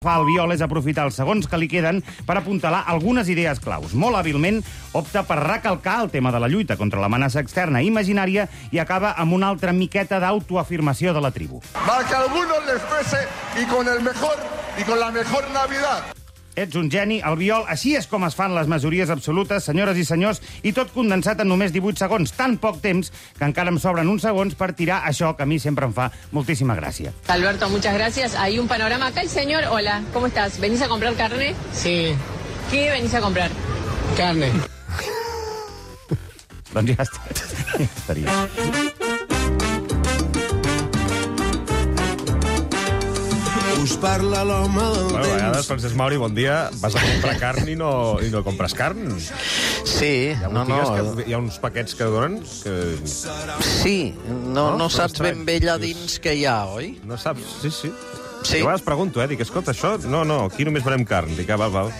Fa el Biol és aprofitar els segons que li queden per apuntalar algunes idees claus. Molt hàbilment opta per recalcar el tema de la lluita contra l'amenaça externa i imaginària i acaba amb una altra miqueta d'autoafirmació de la tribu. Para que a algunos les pese y con la mejor Navidad. Ets un geni, Albiol. Així és com es fan les majories absolutes, senyores i senyors, i tot condensat en només 18 segons. Tan poc temps que encara em sobren uns segons per tirar això que a mi sempre em fa moltíssima gràcia. Alberto, muchas gracias. Hay un panorama acá. El señor, hola, ¿cómo estás? ¿Venís a comprar carne? Sí. ¿Qué venís a comprar? Carne. Doncs ja estaria. Us parla l'home del Bueno, a temps. vegades, Francesc Mauri, bon dia, vas a comprar carn i no compres carn. Sí, Hi ha uns paquets que donen que... Sí, no saps ben bé allà dins què hi ha, oi? No saps, sí. Sí. Jo a vegades pregunto, dic, escolta, això... No, aquí només veurem carn. Dic, val.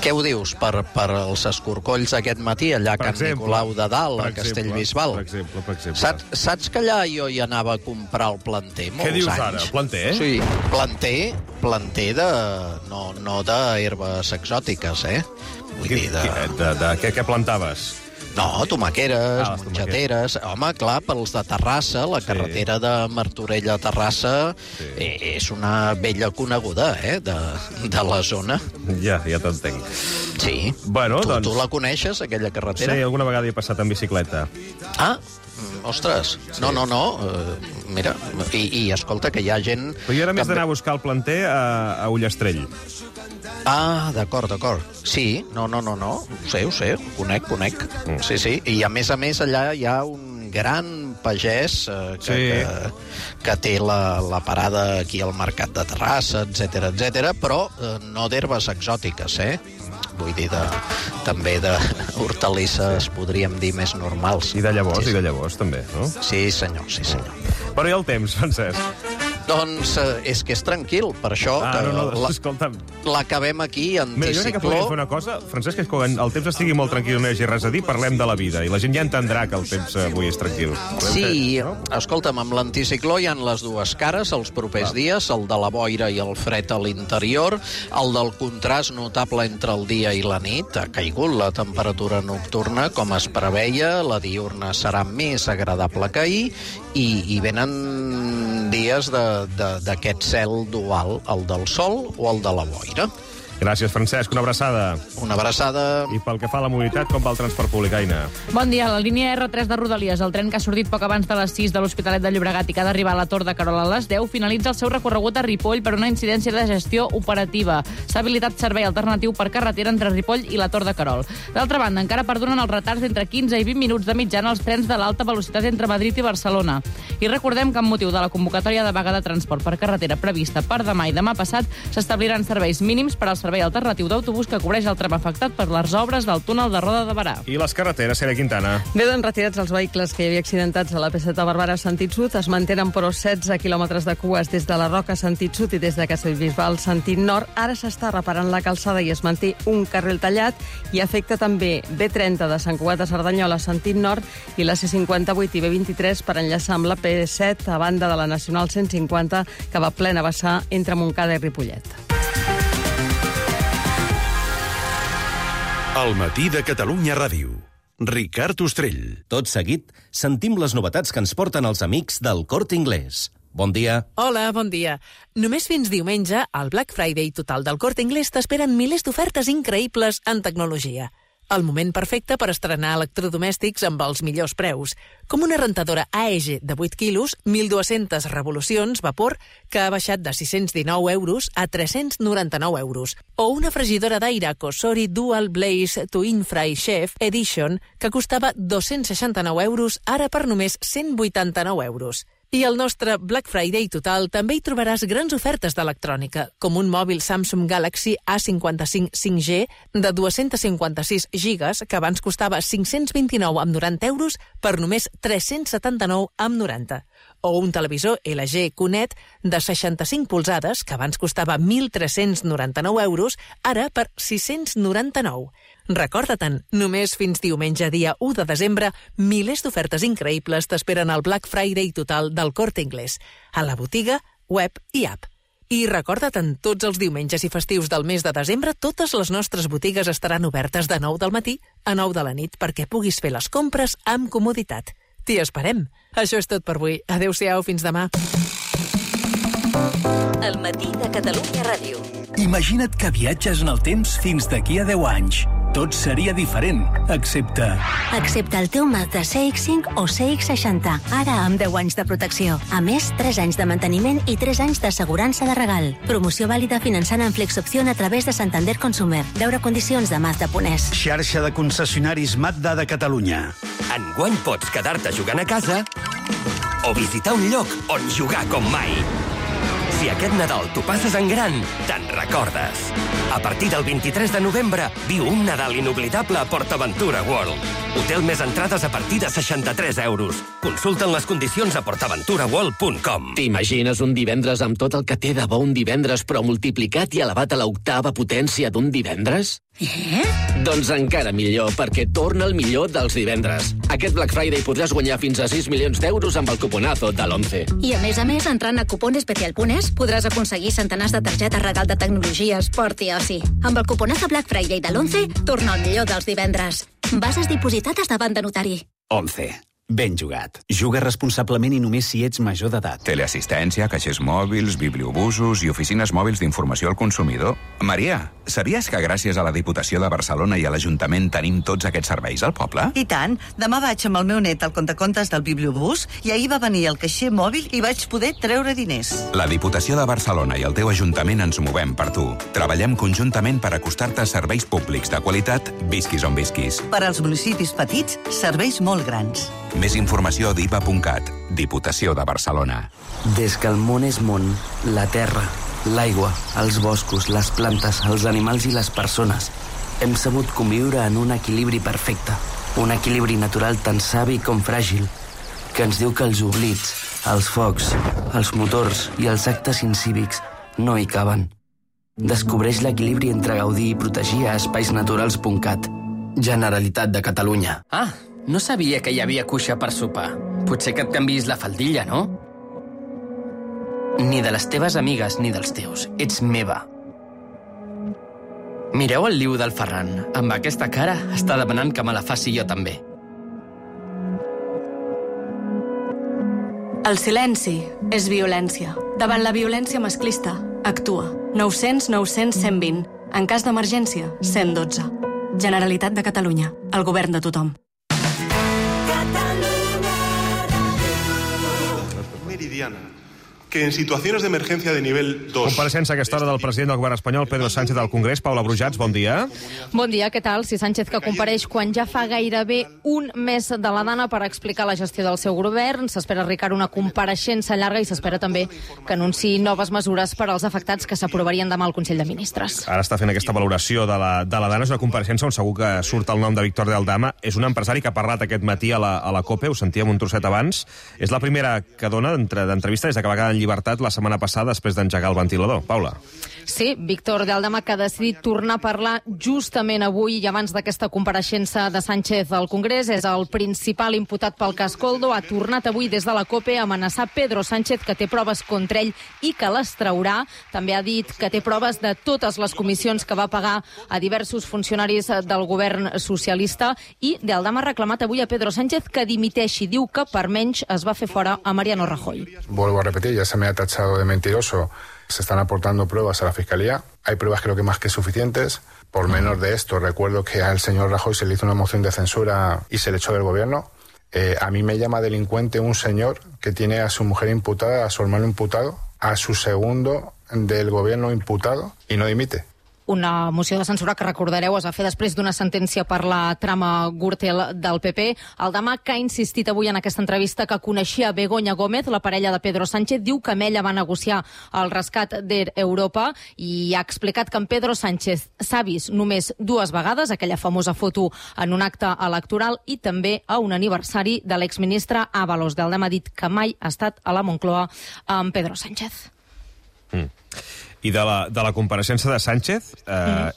Què ho dius, per els escorcolls aquest matí, allà a Can Nicolau de Dalt, a Castellbisbal? Per exemple. Saps que allà jo hi anava a comprar el planter molts anys? Què dius ara, planter? Sí, planter de... no d'herbes exòtiques, Vull dir, Què plantaves? No, tomaqueres, les mongeteres... Home, clar, pels de Terrassa, la carretera de Martorell a Terrassa és una vella coneguda, de la zona. Ja t'entenc. Sí. Bueno, doncs... Tu la coneixes, aquella carretera? Sí, alguna vegada hi he passat en bicicleta. Ah, ostres, no. Mira, i escolta, que hi ha gent... Però jo era més d'anar a buscar el planter a Ullastrell. Ah, d'acord. Sí, no. Ho sé, conec. Sí. I a més, allà hi ha un gran pagès que té la parada aquí al Mercat de Terrassa, etc, però no d'herbes exòtiques, Vull dir, també d'hortalisses, podríem dir, més normals. I de llavors, també, no? Sí, senyor. Però i el temps, Francesc? Doncs és que és tranquil, per això escolta'm. L'acabem aquí, Mira, anticicló. jo crec que podríem fer una cosa, Francesc, és que quan el temps estigui molt tranquil i no hi hagi res a dir, parlem de la vida, i la gent ja entendrà que el temps avui és tranquil. Sí, escolta'm, amb l'anticicló hi ha les dues cares els propers dies, el de la boira i el fred a l'interior, el del contrast notable entre el dia i la nit, ha caigut la temperatura nocturna, com es preveia, la diurna serà més agradable que ahir, i venen dies d'aquest cel dual, el del sol o el de la boira. Gràcies, Francesc. Una abraçada. Una abraçada. I pel que fa a la mobilitat, com va el transport públic, Aina? Bon dia. La línia R3 de Rodalies, el tren que ha sortit poc abans de les 6 de l'Hospitalet de Llobregat i que ha d'arribar a la Tor de Querol a les 10, finalitza el seu recorregut a Ripoll per una incidència de gestió operativa. S'ha habilitat servei alternatiu per carretera entre Ripoll i la Tor de Querol. D'altra banda, encara perdonen els retards d'entre 15 i 20 minuts de mitjana als trens de l'alta velocitat entre Madrid i Barcelona. I recordem que amb motiu de la convocatòria de vaga de transport per carretera prevista per demà i demà passat s'establiran serveis mínims per al servei alternatiu d'autobús que cobreix el tram afectat per les obres del túnel de Roda de Barà. I les carreteres, Cèlia Quintana? Queden retirats els vehicles que hi havia accidentats a la P7 de Barberà sentit sud. Es mantenen, però, 16 quilòmetres de cues des de la Roca sentit sud i des de Castellbisbal sentit nord. Ara s'està reparant la calçada i es manté un carril tallat i afecta també B30 de Sant Cugat a Cerdanyola sentit nord i la C58 i B23 per enllaçar amb la P7 a banda de la Nacional 150 que va plena vessar entre Montcada i Ripollet. El matí de Catalunya Ràdio. Ricard Ostrell. Tot seguit, sentim les novetats que ens porten els amics del Corte Inglés. Bon dia. Hola, bon dia. Només fins diumenge, al Black Friday total del Corte Inglés t'esperen milers d'ofertes increïbles en tecnologia. El moment perfecte per estrenar electrodomèstics amb els millors preus, com una rentadora AEG de 8 quilos, 1.200 revolucions, vapor, que ha baixat de 619 euros a 399 euros, o una fregidora d'aire Cosori Dual Blaze Twin Fry Chef Edition, que costava 269 euros, ara per només 189 euros. I al nostre Black Friday total també hi trobaràs grans ofertes d'electrònica, com un mòbil Samsung Galaxy A55 5G de 256 gigas, que abans costava 529 amb 90 euros per només 379 amb 90. O un televisor LG QNED de 65 polzades, que abans costava 1.399 euros, ara per 699. Recorda-te'n, només fins diumenge dia 1 de desembre, milers d'ofertes increïbles t'esperen al Black Friday total del Corte Inglés, a la botiga, web i app. I recorda't, tots els diumenges i festius del mes de desembre, totes les nostres botigues estaran obertes de 9 del matí a 9 de la nit perquè puguis fer les compres amb comoditat. T'hi esperem. Això és tot per avui. Adéu-siau, fins demà. El matí de Catalunya Ràdio. Imagina't que viatges en el temps fins d'aquí a 10 anys. Tot seria diferent, excepte el teu Mazda CX-5 o CX-60, ara amb 10 anys de protecció. A més, 3 anys de manteniment i 3 anys d'assegurança de regal. Promoció vàlida finançant en Flexopció a través de Santander Consumer. Veure condicions de Mazda.es. Xarxa de concessionaris Mazda de Catalunya. Enguany pots quedar-te jugant a casa o visitar un lloc on jugar com mai. Si aquest Nadal t'ho passes en gran, te'n recordes. A partir del 23 de novembre, viu un Nadal inoblidable a PortAventura World. Hotel més entrades a partir de 63 euros. Consulta'n les condicions a portaventuraworld.com. T'imagines un divendres amb tot el que té de bo un divendres, però multiplicat i elevat a l'octava potència d'un divendres? Doncs encara millor, perquè torna el millor dels divendres. Aquest Black Friday podràs guanyar fins a 6 milions d'euros amb el cuponazo de l'11. I a més, entrant a cuponespecial.es podràs aconseguir centenars de targetes regal de tecnologia, esport i oci. Amb el cuponazo Black Friday de l'11, torna el millor dels divendres. Bases dipositades davant de notari. 11. Ben jugat. Juga responsablement i només si ets major d'edat. Teleassistència, caixers mòbils, bibliobusos i oficines mòbils d'informació al consumidor. Maria, sabies que gràcies a la Diputació de Barcelona i a l'Ajuntament tenim tots aquests serveis al poble? I tant. Demà vaig amb el meu net al contacontes del bibliobús i ahir va venir el caixer mòbil i vaig poder treure diners. La Diputació de Barcelona i el teu Ajuntament ens movem per tu. Treballem conjuntament per acostar-te a serveis públics de qualitat, visquis on visquis. Per als municipis petits, serveis molt grans. Més informació a dipa.cat. Diputació de Barcelona. Des que el món és món, la terra, l'aigua, els boscos, les plantes, els animals i les persones, hem sabut conviure en un equilibri perfecte. Un equilibri natural tan savi com fràgil, que ens diu que els oblits, els focs, els motors i els actes incívics no hi caben. Descobreix l'equilibri entre gaudir i protegir a espaisnaturals.cat. Generalitat de Catalunya. No sabia que hi havia cuixa per sopar. Potser que et canviïs la faldilla, no? Ni de les teves amigues ni dels teus. Ets meva. Mireu el liu del Ferran. Amb aquesta cara està demanant que me la faci jo també. El silenci és violència. Davant la violència masclista, actua. 900 900 120. En cas d'emergència, 112. Generalitat de Catalunya. El govern de tothom. Meridiana, que en situaciones de emergencia de nivel 2... Compareixença a aquesta hora del president del govern espanyol, Pedro Sánchez, al Congrés. Paula Brujats, bon dia. Bon dia, què tal? Si Sánchez que compareix quan ja fa gairebé un mes de la dana per explicar la gestió del seu govern. S'espera, Ricard, una compareixença llarga i s'espera també que anunciï noves mesures per als afectats que s'aprovarien demà al Consell de Ministres. Ara està fent aquesta valoració de la dana. És una compareixença on segur que surt el nom de Víctor de Aldama. És un empresari que ha parlat aquest matí a la COPE, ho sentíem un trosset abans. És la primera que dona d'entrevista des que va quedar en llibertat la setmana passada després d'engegar el ventilador. Paula. Sí, Víctor de Aldama, que ha decidit tornar a parlar justament avui i abans d'aquesta compareixença de Sánchez al Congrés. És el principal imputat pel cas Koldo. Ha tornat avui des de la COPE a amenaçar Pedro Sánchez, que té proves contra ell i que les traurà. També ha dit que té proves de totes les comissions que va pagar a diversos funcionaris del govern socialista. I de Aldama ha reclamat avui a Pedro Sánchez que dimiteixi. Diu que per menys es va fer fora a Mariano Rajoy. Vuelvo a repetir, ya se me ha tachado de mentiroso. Se están aportando pruebas a la Fiscalía. Hay pruebas creo que más que suficientes. Por menos de esto, recuerdo que al señor Rajoy se le hizo una moción de censura y se le echó del gobierno. A mí me llama delincuente un señor que tiene a su mujer imputada, a su hermano imputado, a su segundo del gobierno imputado y no dimite. Una moció de censura que, recordareu, es va fer després d'una sentència per la trama Gürtel del PP. Aldama, que ha insistit avui en aquesta entrevista que coneixia Begoña Gómez, la parella de Pedro Sánchez, diu que amb ella va negociar el rescat d'Air Europa i ha explicat que en Pedro Sánchez s'ha vist només 2 vegades, aquella famosa foto en un acte electoral i també a un aniversari de l'exministre Ábalos. Aldama ha dit que mai ha estat a la Moncloa amb Pedro Sánchez. I de la compareixença de Sánchez,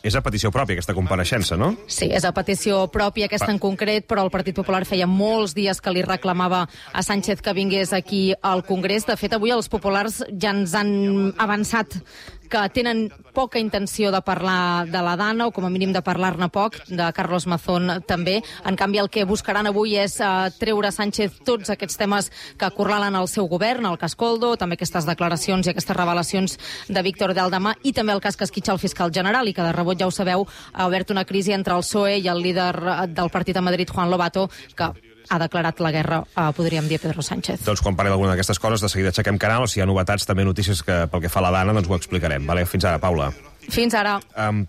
és a petició pròpia, aquesta compareixença, no? Sí, és a petició pròpia, aquesta en concret, però el Partit Popular feia molts dies que li reclamava a Sánchez que vingués aquí al Congrés. De fet, avui els populars ja ens han avançat que tenen poca intenció de parlar de la Dana, o com a mínim de parlar-ne poc, de Carlos Mazón també. En canvi, el que buscaran avui és treure a Sánchez tots aquests temes que acorralen el seu govern, el cas Koldo, també aquestes declaracions i aquestes revelacions de Víctor de Aldama, i també el cas que esquitxa el fiscal general, i que de rebot, ja ho sabeu, ha obert una crisi entre el PSOE i el líder del partit a Madrid, Juan Lobato, que ha declarat la guerra, podríem dir, a Pedro Sánchez. Doncs quan parli d'alguna d'aquestes coses, de seguida aixequem canal. Si hi ha novetats, també notícies que pel que fa a la Dana, doncs ho explicarem. Vale? Fins ara, Paula. Fins ara.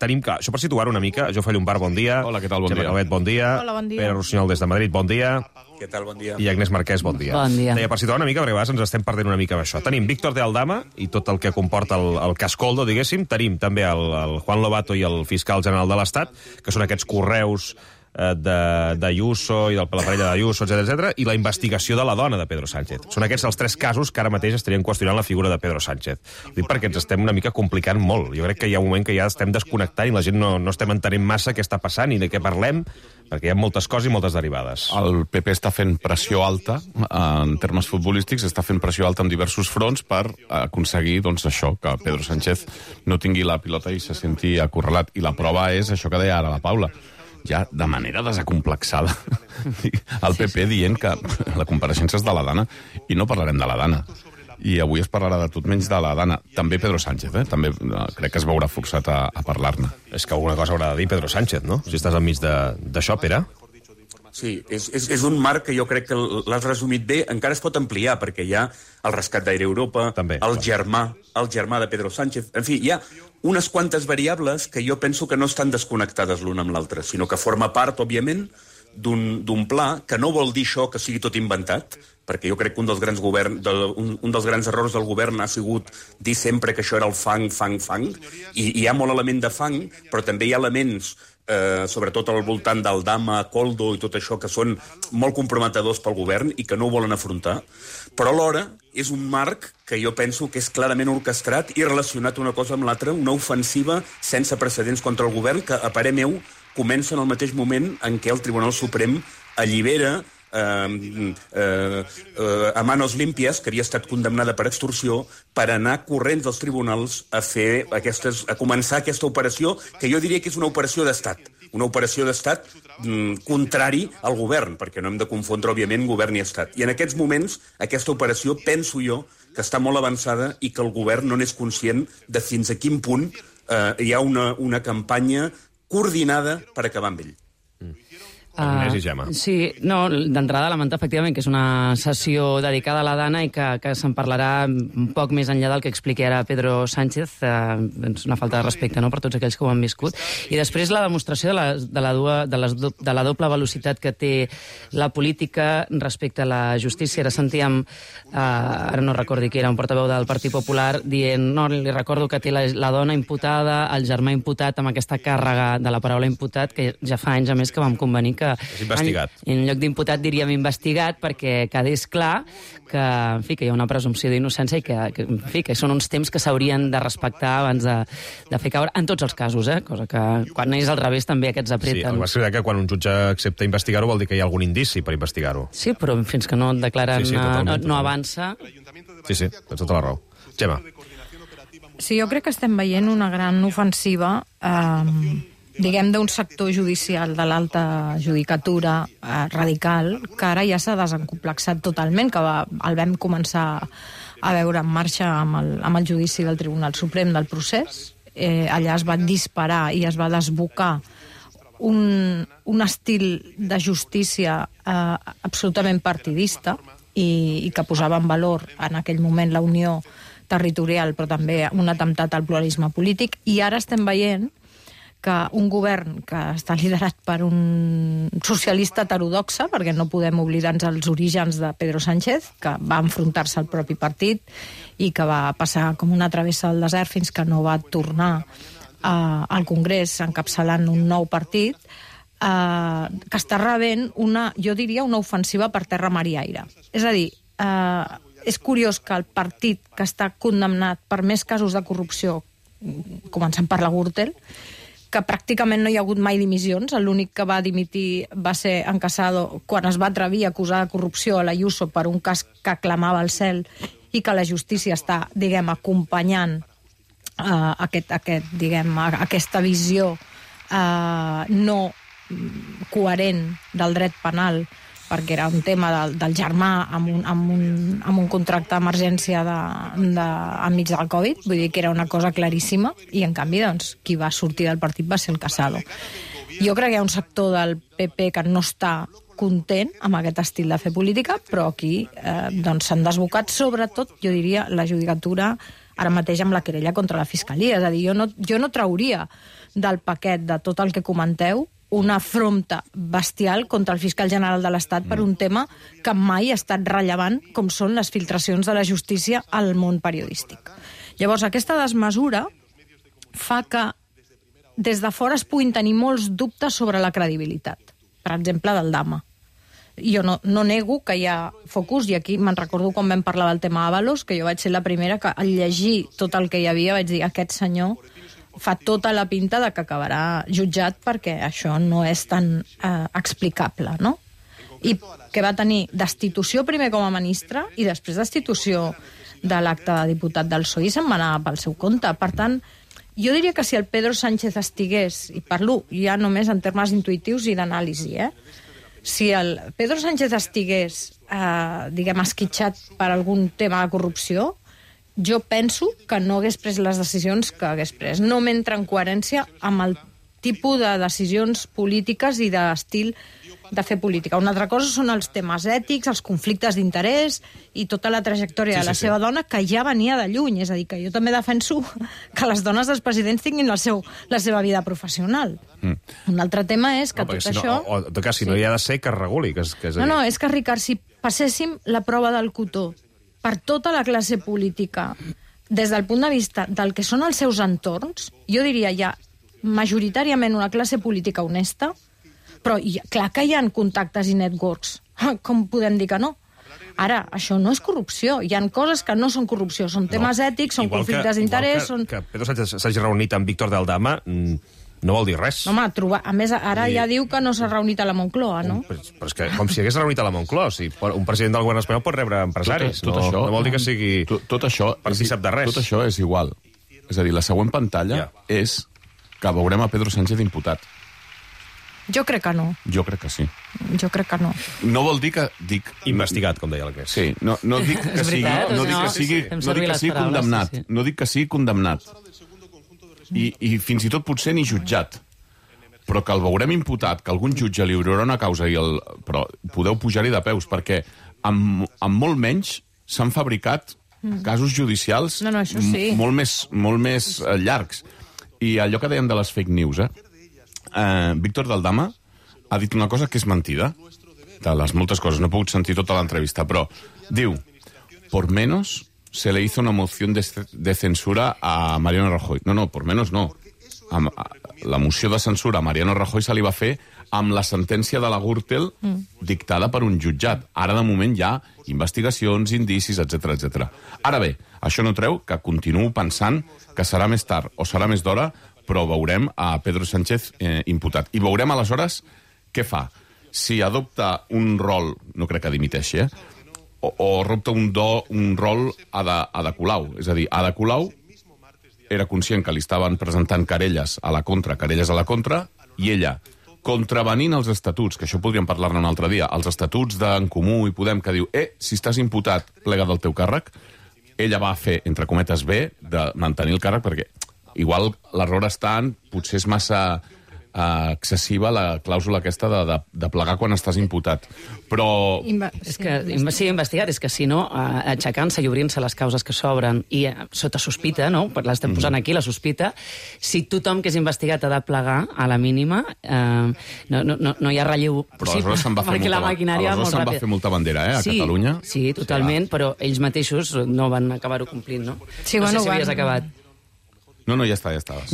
Tenim clar, això per situar una mica, Jo Llumbar, bon dia. Hola, què tal, bon dia. Calvet, bon dia. Hola, bon dia. Pere Rossinyol, des de Madrid, bon dia. Què tal, bon dia. I Agnès Marquès, bon dia. Bon dia. Deia, per situar una mica, perquè a vegades ens estem perdent una mica amb això. Tenim Víctor de Aldama i tot el que comporta el cas Koldo, diguéssim. Tenim també el Juan Lobato i el fiscal general de l'Estat, que són aquests correus d'Ayuso i de la parella d'Ayuso, etc., i la investigació de la dona de Pedro Sánchez. Són aquests els 3 casos que ara mateix estarien qüestionant la figura de Pedro Sánchez. Ho dic perquè ens estem una mica complicant molt. Jo crec que hi ha un moment que ja estem desconnectant i la gent no estem entenent massa què està passant i de què parlem, perquè hi ha moltes coses i moltes derivades. El PP està fent pressió alta, en termes futbolístics, està fent pressió alta en diversos fronts per aconseguir, doncs, això, que Pedro Sánchez no tingui la pilota i se senti acorralat. I la prova és això que deia ara la Paula, ja de manera desacomplexada, el PP dient que la compareixença és de la Dana, i no parlarem de la Dana. I avui es parlarà de tot menys de la Dana. També Pedro Sánchez, també crec que es veurà forçat a parlar-ne. És que alguna cosa haurà de dir Pedro Sánchez, no? Si estàs enmig d'això, Pere. Sí, és un marc que jo crec que l'has resumit bé. Encara es pot ampliar, perquè hi ha el rescat d'Aire Europa, també, el germà de Pedro Sánchez. En fi, hi ha unes quantes variables que jo penso que no estan desconnectades l'una amb l'altra, sinó que forma part, òbviament, d'un pla que no vol dir això que sigui tot inventat, perquè jo crec que un dels grans errors del govern ha sigut dir sempre que això era el fang, i hi ha molt element de fang, però també hi ha elements sobretot al voltant d'Aldama, Koldo i tot això, que són molt comprometedors pel govern i que no ho volen afrontar, però alhora és un marc que jo penso que és clarament orquestrat i relacionat una cosa amb l'altra, una ofensiva sense precedents contra el govern que, a parer meu, comença en el mateix moment en què el Tribunal Suprem allibera a manos limpias, que havia estat condemnada per extorsió, per anar corrents dels tribunals a començar aquesta operació, que jo diria que és una operació d'estat. Una operació d'estat contrari al govern, perquè no hem de confondre, òbviament, govern i estat. I en aquests moments, aquesta operació, penso jo, que està molt avançada i que el govern no n'és conscient de fins a quin punt hi ha una campanya coordinada per acabar amb ell. Agnès i Gemma. Sí, no, d'entrada lamentar efectivament que és una sessió dedicada a la Dana i que se'n parlarà un poc més enllà del que expliqui ara Pedro Sánchez. És una falta de respecte, no?, per tots aquells que ho han viscut. I després la demostració de la doble velocitat que té la política respecte a la justícia. Ara sentíem, ara no recordo qui era, un portaveu del Partit Popular dient, no, li recordo que té la dona imputada, el germà imputat, amb aquesta càrrega de la paraula imputat, que ja fa anys a més que vam convenir que és investigat. En lloc d'imputat diríem investigat, perquè quedés clar que, en fi, que hi ha una presumpció d'innocència i que són uns temps que s'haurien de respectar abans de fer caure, en tots els casos, cosa que quan és al revés també aquests apreten. Sí, el va ser que quan un jutge accepta investigar-ho vol dir que hi ha algun indici per investigar-ho. Sí, però fins que no et declaren no avança. Sí, tens tota la raó. Gemma. Sí, jo crec que estem veient una gran ofensiva diguem, d'un sector judicial de l'alta judicatura radical, que ara ja s'ha desencomplexat totalment, que el vam començar a veure en marxa amb el judici del Tribunal Suprem del procés. Allà es va disparar i es va desbocar un estil de justícia absolutament partidista i que posava en valor en aquell moment la unió territorial, però també un atemptat al pluralisme polític. I ara estem veient que un govern que està liderat per un socialista heterodoxa, perquè no podem oblidar-nos els orígens de Pedro Sánchez, que va enfrontar-se al propi partit i que va passar com una travessa del desert fins que no va tornar al Congrés encapçalant un nou partit, que està rebent jo diria, una ofensiva per terra, mar i aire. És a dir, és curiós que el partit que està condemnat per més casos de corrupció començant per la Gürtel, que pràcticament no hi ha hagut mai dimissions. L'únic que va dimitir va ser en Casado quan es va atrevir a acusar de corrupció a l'Ayuso per un cas que clamava al cel i que la justícia està, diguem, acompanyant aquesta visió no coherent del dret penal, perquè era un tema del germà amb un contracte d'emergència enmig del Covid, vull dir que era una cosa claríssima, i en canvi doncs, qui va sortir del partit va ser el Casado. Jo crec que hi ha un sector del PP que no està content amb aquest estil de fer política, però aquí doncs s'han desbocat, sobretot, jo diria, la judicatura ara mateix amb la querella contra la Fiscalia. És a dir, jo no trauria del paquet de tot el que comenteu una afronta bestial contra el fiscal general de l'Estat per un tema que mai ha estat rellevant, com són les filtracions de la justícia al món periodístic. Llavors, aquesta desmesura fa que des de fora es puguin tenir molts dubtes sobre la credibilitat, per exemple, del Dama. Jo no nego que hi ha focus, i aquí me'n recordo quan vam parlar del tema Ábalos, que jo vaig ser la primera que al llegir tot el que hi havia vaig dir, aquest senyor fa tota la pinta de que acabarà jutjat perquè això no és tan explicable, no? I que va tenir destitució primer com a ministre i després destitució de l'acte de diputat del PSOE i se'n va anar pel seu compte. Per tant, jo diria que si el Pedro Sánchez estigués, i parlo ja només en termes intuitius i d'anàlisi, si el Pedro Sánchez estigués, diguem, esquitxat per algun tema de corrupció, jo penso que no hagués pres les decisions que hagués pres. No m'entra en coherència amb el tipus de decisions polítiques i d'estil de fer política. Una altra cosa són els temes ètics, els conflictes d'interès i tota la trajectòria de la seva dona, que ja venia de lluny. És a dir, que jo també defenso que les dones dels presidents tinguin la seva vida professional. Un altre tema és que tot això... O, en tot cas, si no hi ha de ser, que es reguli. No, és que, Ricard, si passéssim la prova del cotó per tota la classe política, des del punt de vista del que són els seus entorns, jo diria ja majoritàriament una classe política honesta, però clar que hi ha contactes i networks. Com podem dir que no? Ara, això no és corrupció. Hi ha coses que no són corrupció, són temes ètics, són conflictes d'interès... Que Pedro Sánchez s'hagi reunit amb Víctor del Dama no vol dir res. Home, a més, ara ja diu que no s'ha reunit a la Moncloa, no? Però és que com si hagués reunit a la Moncloa. Si un president del govern espanyol pot rebre empresaris. Tot això, no vol dir que sigui partícip de res. Tot això és igual. És a dir, la següent pantalla és que veurem a Pedro Sánchez imputat. Jo crec que no. Jo crec que sí. Jo crec que no. No vol dir que... Investigat, com deia el que és. Sí, no dic que sigui condemnat. No dic que sigui condemnat. I fins i tot potser ni jutjat. Però que el veurem imputat, que algun jutge li obrirà una causa, però podeu pujar-hi de peus, perquè amb molt menys s'han fabricat casos judicials molt més llargs. I allò que dèiem de les fake news, Víctor del Dama ha dit una cosa que és mentida, de les moltes coses, no he pogut sentir tota l'entrevista, però diu, por menos se le hizo una moción de censura a Mariano Rajoy. No, por menos no. La moció de censura a Mariano Rajoy se li va fer amb la sentència de la Gürtel dictada per un jutjat. Ara, de moment, hi ha investigacions, indicis, etc. Ara bé, això no treu que continuo pensant que serà més tard o serà més d'hora, però veurem a Pedro Sánchez imputat. I veurem, aleshores, què fa. Si adopta un rol, no crec que dimiteixi, o adopta un rol Ada Colau. És a dir, Ada Colau era conscient que li estaven presentant querelles a la contra, i ella, contravenint els estatuts, que això podríem parlar-ne un altre dia, els estatuts d'en Comú i Podem, que diu, si estàs imputat, plega del teu càrrec, ella va fer, entre cometes, bé de mantenir el càrrec, perquè igual l'error està en, potser és massa excessiva la clàusula aquesta de plegar quan estàs imputat. Però... És que sigui investigat, és que si no, aixecant-se i obrint-se les causes que s'obren i sota sospita, no? L'estem posant aquí, la sospita, si tothom que és investigat ha de plegar a la mínima, no hi ha relleu possible, perquè la maquinària va molt ràpida. Aleshores se'n va fer molta bandera, a Catalunya. Sí, totalment, però ells mateixos no van acabar-ho complint, no? Sí, no sé si havies acabat. No, ja està.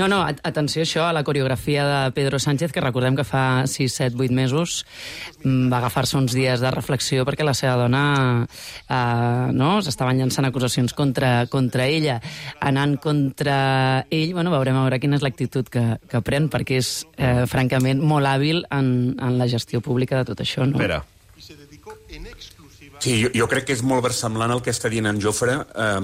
No, atenció això a la coreografia de Pedro Sánchez, que recordem que fa 6, 7, 8 mesos va agafar-se uns dies de reflexió perquè la seva dona s'estaven llançant acusacions contra ella. Anant contra ell, veurem a veure quina és l'actitud que pren, perquè és, francament, molt hàbil en la gestió pública de tot això, no? Espera. Sí, jo crec que és molt versemblant el que està dient en Jofre,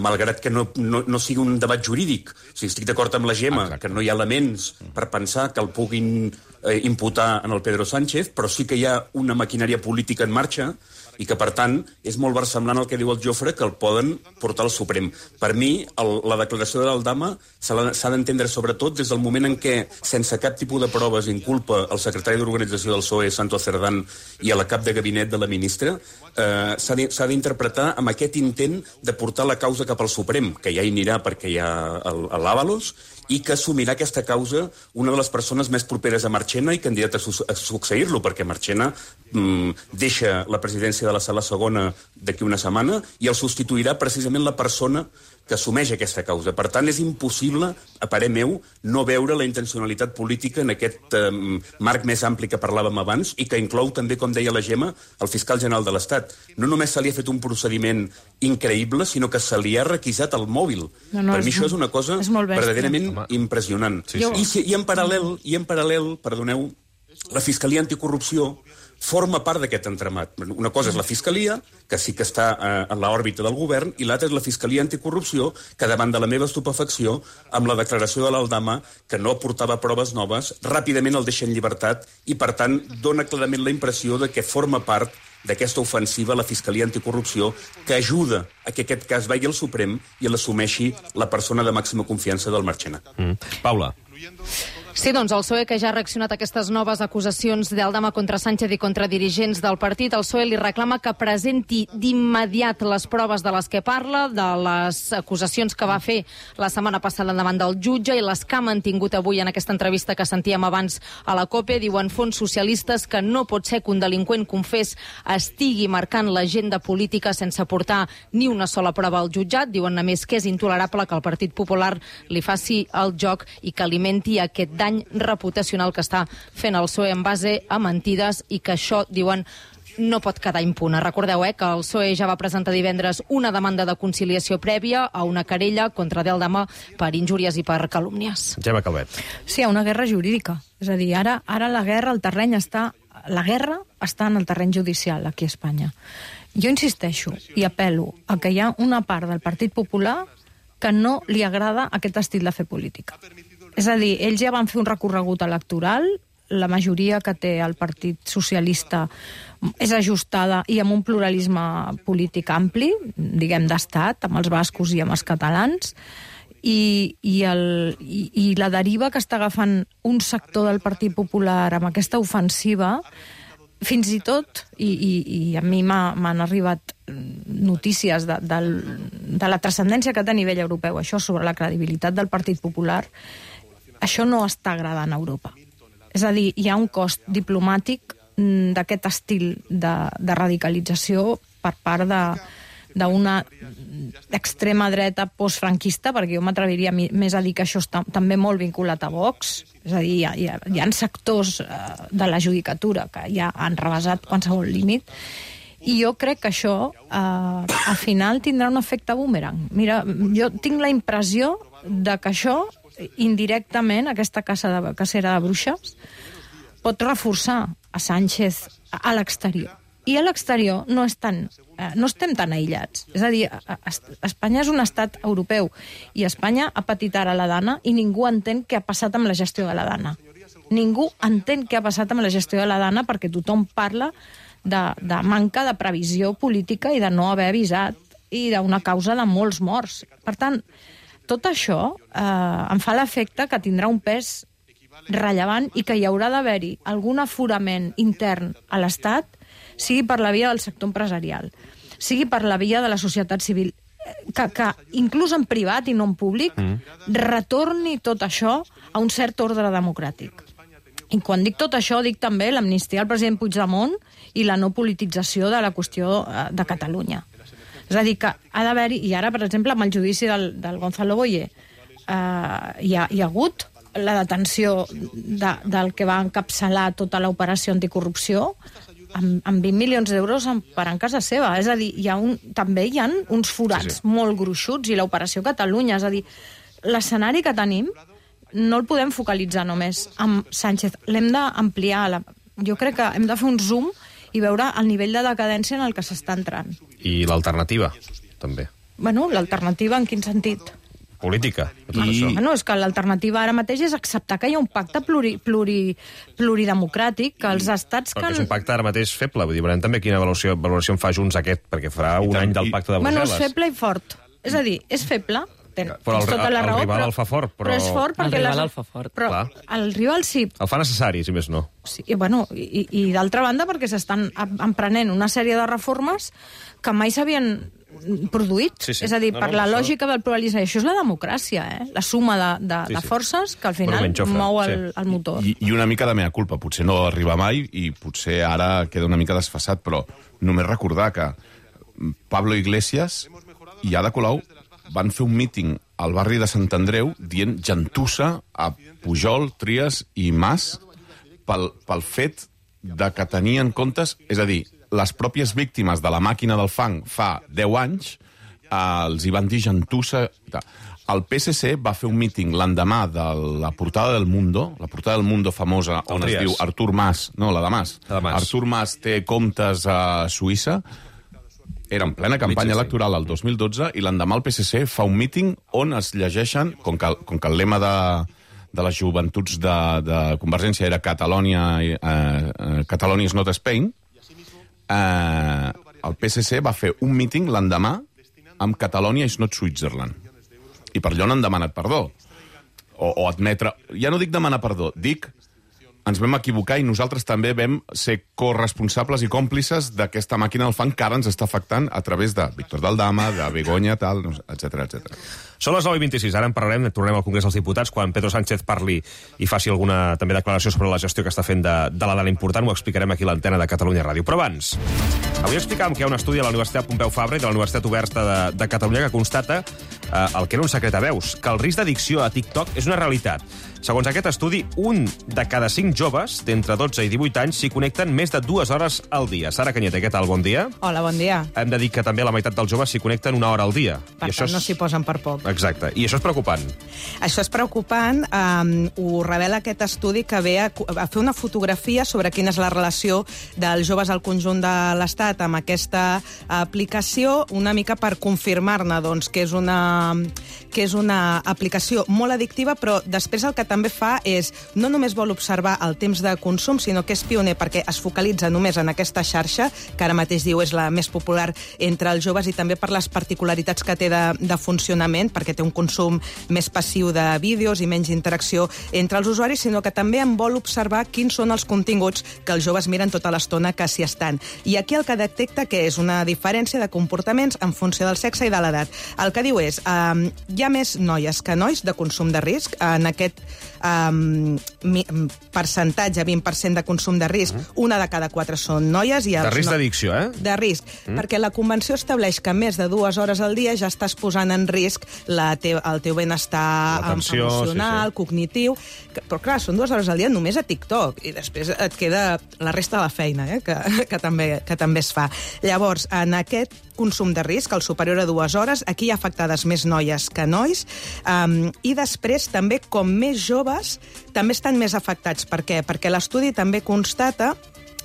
malgrat que no sigui un debat jurídic. O sigui, estic d'acord amb la Gemma, que no hi ha elements per pensar que el puguin imputar en el Pedro Sánchez, però sí que hi ha una maquinària política en marxa i que, per tant, és molt versemblant el que diu el Jofre, que el poden portar al Suprem. Per mi, la declaració de l'Aldama s'ha d'entendre sobretot des del moment en què, sense cap tipus de proves, inculpa el secretari d'Organització del PSOE, Santos Cerdán, i a la cap de gabinet de la ministra, s'ha d'interpretar amb aquest intent de portar la causa cap al Suprem, que ja hi anirà perquè hi ha l'Ábalos, i que assumirà aquesta causa una de les persones més properes a Marchena i candidata a succeir-lo, perquè Marchena deixa la presidència de la Sala Segona d'aquí una setmana i el substituirà precisament la persona que assumeix aquesta causa. Per tant, és impossible, a parer meu, no veure la intencionalitat política en aquest marc més ampli que parlàvem abans i que inclou també, com deia la Gemma, el fiscal general de l'Estat. No només se li ha fet un procediment increïble, sinó que se li ha requisat el mòbil. Per mi això és una cosa verdaderament impressionant. I en paral·lel, perdoneu, la Fiscalia Anticorrupció forma part d'aquest entramat. Una cosa és la Fiscalia, que sí que està en l'òrbita del govern, i l'altra és la Fiscalia Anticorrupció, que davant de la meva estupefacció, amb la declaració de l'Aldama, que no aportava proves noves, ràpidament el deixa en llibertat i, per tant, dona clarament la impressió de que forma part d'aquesta ofensiva a la Fiscalia Anticorrupció que ajuda a que aquest cas vagi al Suprem i l'assumeixi la persona de màxima confiança del Marchena. Paula. Sí, doncs el PSOE, que ja ha reaccionat a aquestes noves acusacions d'Aldama contra Sánchez i contra dirigents del partit, el PSOE li reclama que presenti d'immediat les proves de les que parla, de les acusacions que va fer la setmana passada davant del jutge i les que ha mantingut avui en aquesta entrevista que sentíem abans a la COPE. Diuen fons socialistes que no pot ser que un delinqüent confés estigui marcant l'agenda política sense portar ni una sola prova al jutjat. Diuen, a més, que és intolerable que el Partit Popular li faci el joc i que alimenti aquest dany reputacional que està fent el PSOE en base a mentides i que això, diuen, no pot quedar impune. Recordeu que el PSOE ja va presentar divendres una demanda de conciliació prèvia a una querella contra d'Aldama per injúries i per calúmnies. Gemma Calvet. Sí, hi ha una guerra jurídica. És a dir, ara la guerra, la guerra està en el terreny judicial aquí a Espanya. Jo insisteixo i apel·lo a que hi ha una part del Partit Popular que no li agrada aquest estil de fer política. És a dir, ells ja van fer un recorregut electoral, la majoria que té el Partit Socialista és ajustada i amb un pluralisme polític ampli, diguem d'estat, amb els bascos i amb els catalans, i la deriva que està agafant un sector del Partit Popular amb aquesta ofensiva, fins i tot, i a mi m'han arribat notícies de la transcendència que té a nivell europeu, això sobre la credibilitat del Partit Popular, això no està agradant a Europa. És a dir, hi ha un cost diplomàtic d'aquest estil de radicalització per part d'una extrema dreta postfranquista, perquè jo m'atreviria més a dir que això està també molt vinculat a Vox. És a dir, hi ha sectors de la judicatura que ja han rebasat qualsevol límit, i jo crec que això al final tindrà un efecte boomerang. Mira, jo tinc la impressió de que això indirectament, aquesta cacera de bruixes, pot reforçar a Sánchez a l'exterior. I a l'exterior no estem tan aïllats. És a dir, Espanya és un estat europeu i Espanya ha patit ara la Dana i ningú entén què ha passat amb la gestió de la Dana. Ningú entén què ha passat amb la gestió de la Dana perquè tothom parla de manca de previsió política i de no haver avisat i d'una causa de molts morts. Per tant, tot això em fa l'efecte que tindrà un pes rellevant i que hi haurà d'haver-hi algun aforament intern a l'Estat, sigui per la via del sector empresarial, sigui per la via de la societat civil, que inclús en privat i no en públic, retorni tot això a un cert ordre democràtic. I quan dic tot això, dic també l'amnistia al president Puigdemont i la no politització de la qüestió de Catalunya. És a dir, que ha d'haver-hi, i ara, per exemple, amb el judici del Gonzalo Boye, hi ha hagut la detenció del que va encapçalar tota l'operació anticorrupció amb 20 milions d'euros emparant casa seva. És a dir, també hi ha uns forats molt gruixuts, i l'operació Catalunya, és a dir, l'escenari que tenim no el podem focalitzar només amb Sánchez, l'hem d'ampliar. Jo crec que hem de fer un zoom i veure el nivell de decadència en el que s'està entrant. I l'alternativa, també. Bueno, l'alternativa en quin sentit? Política, de tot això. Bueno, és que l'alternativa ara mateix és acceptar que hi ha un pacte pluridemocràtic, que els estats... Però que és un pacte ara mateix feble, vull dir, veurem també quina valoració en fa Junts aquest, perquè farà un any del pacte de Brussel·les. Bueno, és feble i fort. És a dir, és feble, però el rival el fa fort. Però és fort perquè... El rival el fa fort. Però el rival sí. El fa necessari, si més no. Sí, bueno, i d'altra banda perquè s'estan emprenent una sèrie de reformes que mai s'havien produït. És a dir, per la lògica del pluralisme. Això és la democràcia, la suma de forces que al final mou el motor. I una mica de mea culpa. Potser no arriba mai i potser ara queda una mica desfasat, però només recordar que Pablo Iglesias i Ada Colau van fer un míting al barri de Sant Andreu dient gentussa a Pujol, Trias i Mas pel fet de que tenien comptes, és a dir, les pròpies víctimes de la màquina del fang fa 10 anys els hi van dir gentussa. El PSC va fer un míting l'endemà de la portada del Mundo, la portada del Mundo famosa, on es diu Artur Mas, no, la de Mas. Artur Mas té comptes a Suïssa. Era en plena campanya electoral el 2012 i l'endemà el PSC fa un míting on es llegeixen, com que el lema de les joventuts de Convergència era Catalonia is not Spain, el PSC va fer un míting l'endemà amb Catalonia is not Switzerland. I per allò no han demanat perdó. O admetre... Ja no dic demanar perdó, dic ens vam equivocar i nosaltres també vam ser corresponsables i còmplices d'aquesta màquina del fang que ara ens està afectant a través de Víctor Daldama, de Begoña, tal, etc. Són les 9:26, ara en parlarem, tornem al Congrés dels Diputats, quan Pedro Sánchez parli i faci alguna també declaració sobre la gestió que està fent de la dada important, ho explicarem aquí a l'antena de Catalunya Ràdio. Però abans, avui explicàvem que hi ha un estudi a la Universitat Pompeu Fabra i de la Universitat Oberta de Catalunya que constata el que era un secret a veus, que el risc d'addicció a TikTok és una realitat. Segons aquest estudi, 1 de cada 5 joves d'entre 12 i 18 anys s'hi connecten més de 2 hores al dia. Sara Canyete, què tal? Bon dia. Hola, bon dia. Hem de dir que també la meitat dels joves s'hi connecten 1 hora al dia. Per tant, no s'hi posen per poc. Exacte. I això és preocupant. Això és preocupant. Ho revela aquest estudi que ve a fer una fotografia sobre quina és la relació dels joves al conjunt de l'Estat amb aquesta aplicació, una mica per confirmar-ne doncs, que és una aplicació molt addictiva, però després el que també fa és no només vol observar el temps de consum, sinó que és pioner perquè es focalitza només en aquesta xarxa, que ara mateix diu és la més popular entre els joves, i també per les particularitats que té de funcionament, perquè té un consum més passiu de vídeos i menys interacció entre els usuaris, sinó que també en vol observar quins són els continguts que els joves miren tota l'estona que s'hi estan. I aquí el que detecta que és una diferència de comportaments en funció del sexe i de l'edat. El que diu és hi ha més noies que nois de consum de risc. En aquest percentatge, 20% de consum de risc, 1 de cada 4 són noies. I de risc d'addicció, De risc, perquè la Convenció estableix que més de 2 hores al dia ja estàs posant en risc el teu benestar emocional, cognitiu. Però clar, són 2 hores al dia només a TikTok, i després et queda la resta de la feina, que també es fa. Llavors, en aquest consum de risc, el superior a 2 hores, aquí hi ha afectades més noies que nois, i després també, com més joves, també estan més afectats. Per què? Perquè l'estudi també constata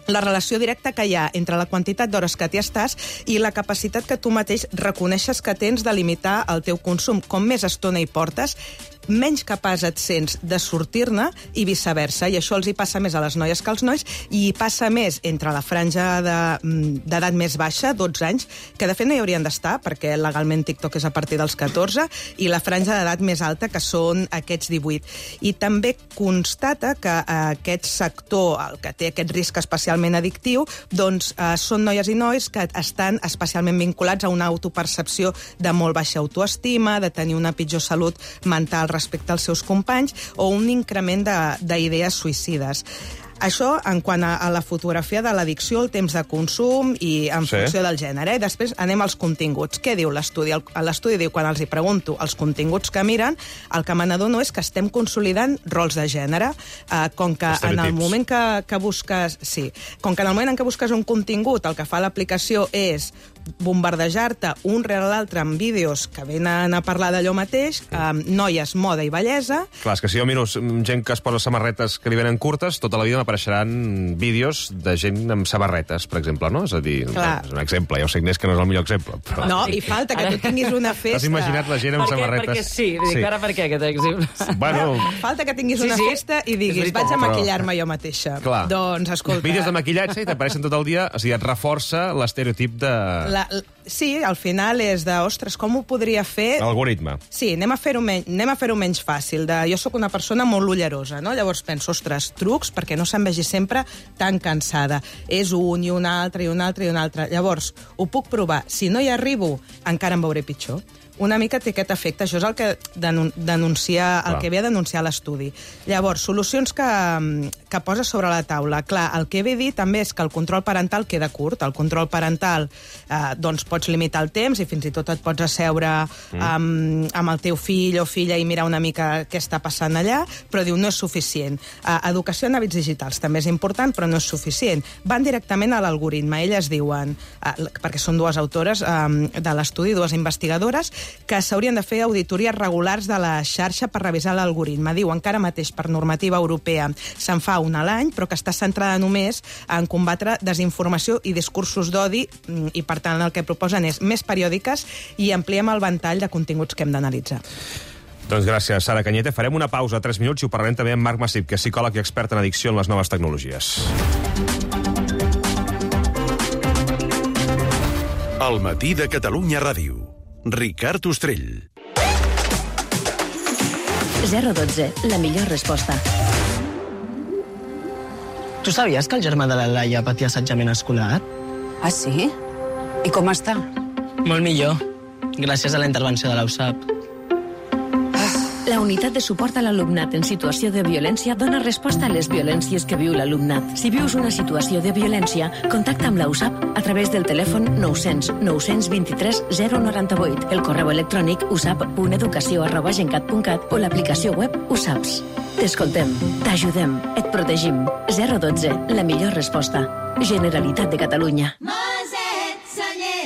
la relació directa que hi ha entre la quantitat d'hores que t'hi estàs i la capacitat que tu mateix reconeixes que tens de limitar el teu consum. Com més estona hi portes, menys capaç et sents de sortir-ne i viceversa. I això els hi passa més a les noies que als nois, i hi passa més entre la franja d'edat més baixa, 12 anys, que de fet no hi haurien d'estar, perquè legalment TikTok és a partir dels 14, i la franja d'edat més alta, que són aquests 18. I també constata que aquest sector, el que té aquest risc especialment addictiu, doncs són noies i nois que estan especialment vinculats a una autopercepció de molt baixa autoestima, de tenir una pitjor salut mental respecte als seus companys, o un increment d'idees suïcides. Això en quant a la fotografia de l'addicció, el temps de consum i en funció del gènere. I després anem als continguts. Què diu l'estudi? L'estudi diu, quan els hi pregunto els continguts que miren, el que me n'adono és que estem consolidant rols de gènere. Com que en el moment que busques... Sí, com que en el moment en què busques un contingut, el que fa l'aplicació és bombardejar-te un rere l'altre amb vídeos que venen a parlar d'allò mateix, noies, moda i bellesa. Clar, és que si jo miro gent que es posa samarretes que li venen curtes, tota la vida m'apareixeran vídeos de gent amb samarretes, per exemple, no? És a dir, és un exemple, ja ho sé, Inés, que no és el millor exemple. Però... No, i falta que tu tinguis una festa... T'has imaginat la gent amb samarretes? Perquè sí, dic, ara per què aquest exemple? Bueno... Falta que tinguis una festa i diguis, vaig a maquillar-me jo mateixa. Clar. Doncs, escolta... Vídeos de maquillatge i t'apareixen tot el dia, o sigui, et reforça l'estereotip de... Sí, al final és de, ostres, com ho podria fer... L'algoritme. Sí, anem a fer-ho menys fàcil. Jo sóc una persona molt ullerosa, no? Llavors penso, ostres, trucs perquè no se'm vegi sempre tan cansada. És un i un altre i un altre i un altre. Llavors, ho puc provar. Si no hi arribo, encara em veuré pitjor. Una mica té aquest efecte. Això és el que que ve a denunciar l'estudi. Llavors, solucions que posa sobre la taula. Clar, el que ve a dir també és que el control parental queda curt. El control parental, doncs, pots limitar el temps i fins i tot et pots asseure amb el teu fill o filla i mirar una mica què està passant allà, però diu, no és suficient. Educació en hàbits digitals també és important, però no és suficient. Van directament a l'algoritme. Elles diuen, perquè són dues autores de l'estudi, dues investigadores, que s'haurien de fer auditories regulars de la xarxa per revisar l'algoritme. Diu, encara mateix per normativa europea se'n fa una a l'any, però que està centrada només en combatre desinformació i discursos d'odi, i per tant el que proposen és més periòdiques i ampliem el ventall de continguts que hem d'analitzar. Doncs gràcies, Sara Cañete. Farem una pausa de 3 minuts i ho parlarem també amb Marc Massip, que és psicòleg i expert en addicció en les noves tecnologies. El matí de Catalunya Ràdio. Ricard Ostrell. 012, la millor resposta. Tu sabies que el germà de la Laia patia assetjament escolar? Ah, sí? I com està? Molt millor, gràcies a la intervenció de l'USAP. La unitat de suport a l'alumnat en situació de violència dona resposta a les violències que viu l'alumnat. Si vius una situació de violència, contacta amb la USAP a través del telèfon 900 923 098, el correu electrònic usap.educació@gencat.cat o l'aplicació web USAPS. T'escoltem, t'ajudem, et protegim. 012, la millor resposta. Generalitat de Catalunya.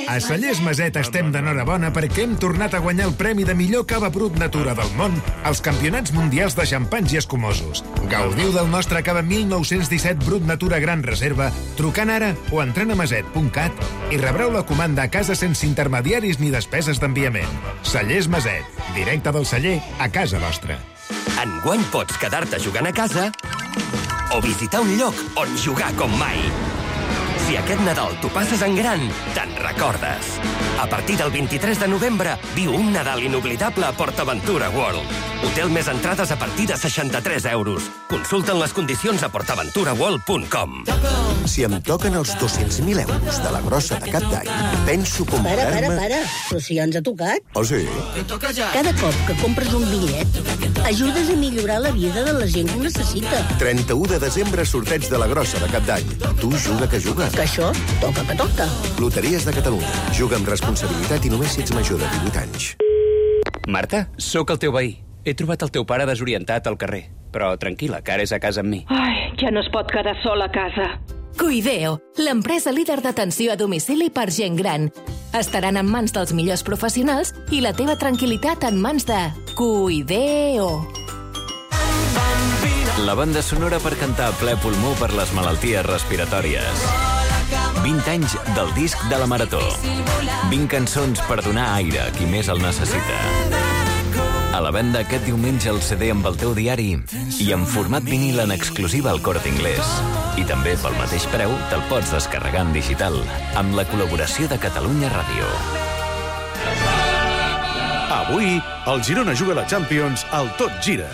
A Cellers Maset estem d'enhorabona perquè hem tornat a guanyar el premi de millor cava brut natura del món als Campionats Mundials de Xampans i Escumosos. Gaudiu del nostre cava 1917 brut natura gran reserva trucant ara o entrant a maset.cat i rebreu la comanda a casa sense intermediaris ni despeses d'enviament. Cellers Maset, directe del celler a casa vostra. Enguany pots quedar-te jugant a casa o visitar un lloc on jugar com mai. Si aquest Nadal t'ho passes en gran, te'n recordes. A partir del 23 de novembre, viu un Nadal inoblidable a PortAventura World. Hotel més entrades a partir de 63 euros. Consulta'n les condicions a portaventuraworld.com. Si em toquen els 200.000 euros de la grossa de cap d'any, penso comprar-me... Para. Però si ja ens ha tocat. Oh, sí? Cada cop que compres un bitllet, ajudes a millorar la vida de la gent que ho necessita. 31 de desembre, sorteig de la grossa de cap d'any. Tu juga que juga. Que això toca que toca. Loteries de Catalunya. Juga amb responsabilitat i només si ets major de 18 anys. Marta, sóc el teu veí. He trobat el teu pare desorientat al carrer. Però tranquil·la, que ara és a casa amb mi. Ai, ja no es pot quedar sol a casa. Cuideo, l'empresa líder d'atenció a domicili per gent gran. Estaran en mans dels millors professionals i la teva tranquil·litat en mans de Cuideo. La banda sonora per cantar a ple pulmó per les malalties respiratòries. 20 anys del disc de la Marató. 20 cançons per donar aire a qui més el necessita. A la venda aquest diumenge el CD amb el teu diari i en format vinil en exclusiva al Corte Inglés. I també pel mateix preu te'l pots descarregar en digital amb la col·laboració de Catalunya Ràdio. Avui, el Girona juga a la Champions al Tot Gira.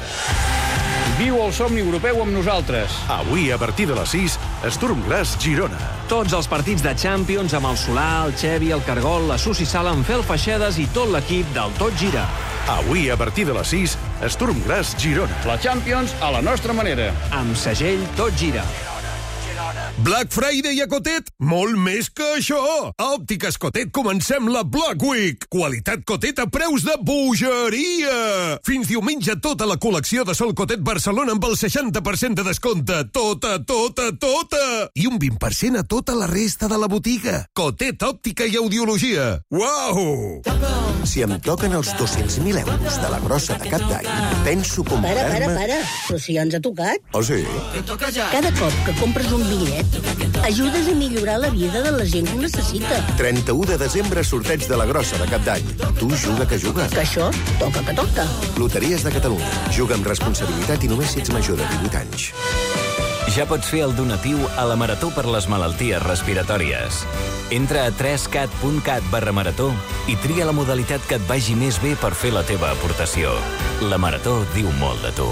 Viu el somni europeu amb nosaltres. Avui, a partir de les 6, Sturm Graz Girona. Tots els partits de Champions amb el Solà, el Xevi, el Cargol, la Susi Sala, en Fel Feixedes i tot l'equip del Tot Gira. Avui, a partir de les 6, Sturm Graz Girona. La Champions a la nostra manera. Amb segell Tot Gira. Black Friday a Cotet? Molt més que això! A Òptiques Cotet comencem la Black Week. Qualitat Cotet a preus de bogeria! Fins diumenge tota la col·lecció de Sol Cotet Barcelona amb el 60% de descompte. Tota! I un 20% a tota la resta de la botiga. Cotet, òptica i audiologia. Uau! Si em toquen els 200.000 euros de la grossa de cap d'any, penso comprar-me... Para. Però si ja ens ha tocat. Oh, sí? Cada cop que compres un bitllet, ajudes a millorar la vida de la gent que ho necessita. 31 de desembre, sorteig de la grossa de cap d'any. Tu juga que juga. Que això toca que toca. Loteries de Catalunya. Juga amb responsabilitat i només si ets major de 18 anys. Ja pots fer el donatiu a la Marató per les malalties respiratòries. Entra a 3cat.cat/marató i tria la modalitat que et vagi més bé per fer la teva aportació. La Marató diu molt de tu.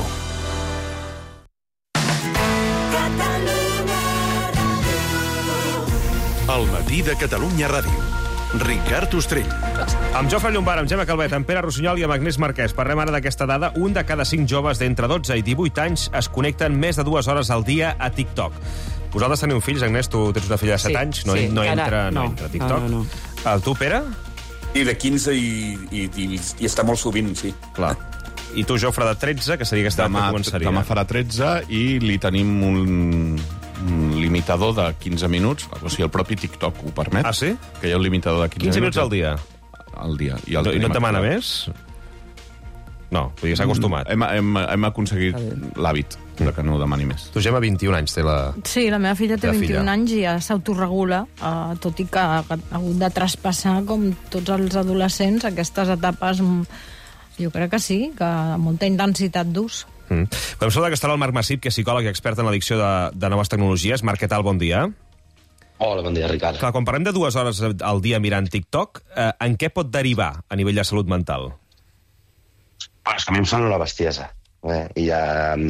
El matí de Catalunya Ràdio. Ricard Ostrell. Amb Jofre Llombard, amb Gemma Calvet, amb Pere Rossinyol i amb Agnès Marquès. Parlem ara d'aquesta dada. Un de cada 5 joves d'entre 12 i 18 anys es connecten més de 2 hores al dia a TikTok. Vosaltres teniu fills, Agnès? Tu tens una filla de 7 anys. No entra a TikTok. No. Tu, Pere? I de 15 i està molt sovint, sí. Clar. I tu, Jofre, de 13, que seria aquesta que començaria. Demà farà 13 i li tenim un limitador de 15 minuts, o sigui, el propi TikTok ho permet. Ah, sí? Que hi ha un limitador de 15 minuts al dia? Al dia. I no et demana més? No, vull dir, s'ha acostumat. Hem aconseguit l'hàbit de que no demani més. Tu, Gemma, 21 anys té la... Sí, la meva filla té 21 anys i ja s'autoregula, tot i que ha hagut de traspassar, com tots els adolescents, aquestes etapes, jo crec que sí, que amb molta intensitat d'ús. Podem saludar que estarà el Marc Massip, que és psicòleg i expert en l'addicció de noves tecnologies. Marc, què tal? Bon dia. Hola, bon dia, Ricard. Clar, quan parlem de 2 hores al dia mirant TikTok, en què pot derivar a nivell de salut mental? És que a mi em sembla una bestiesa. I ara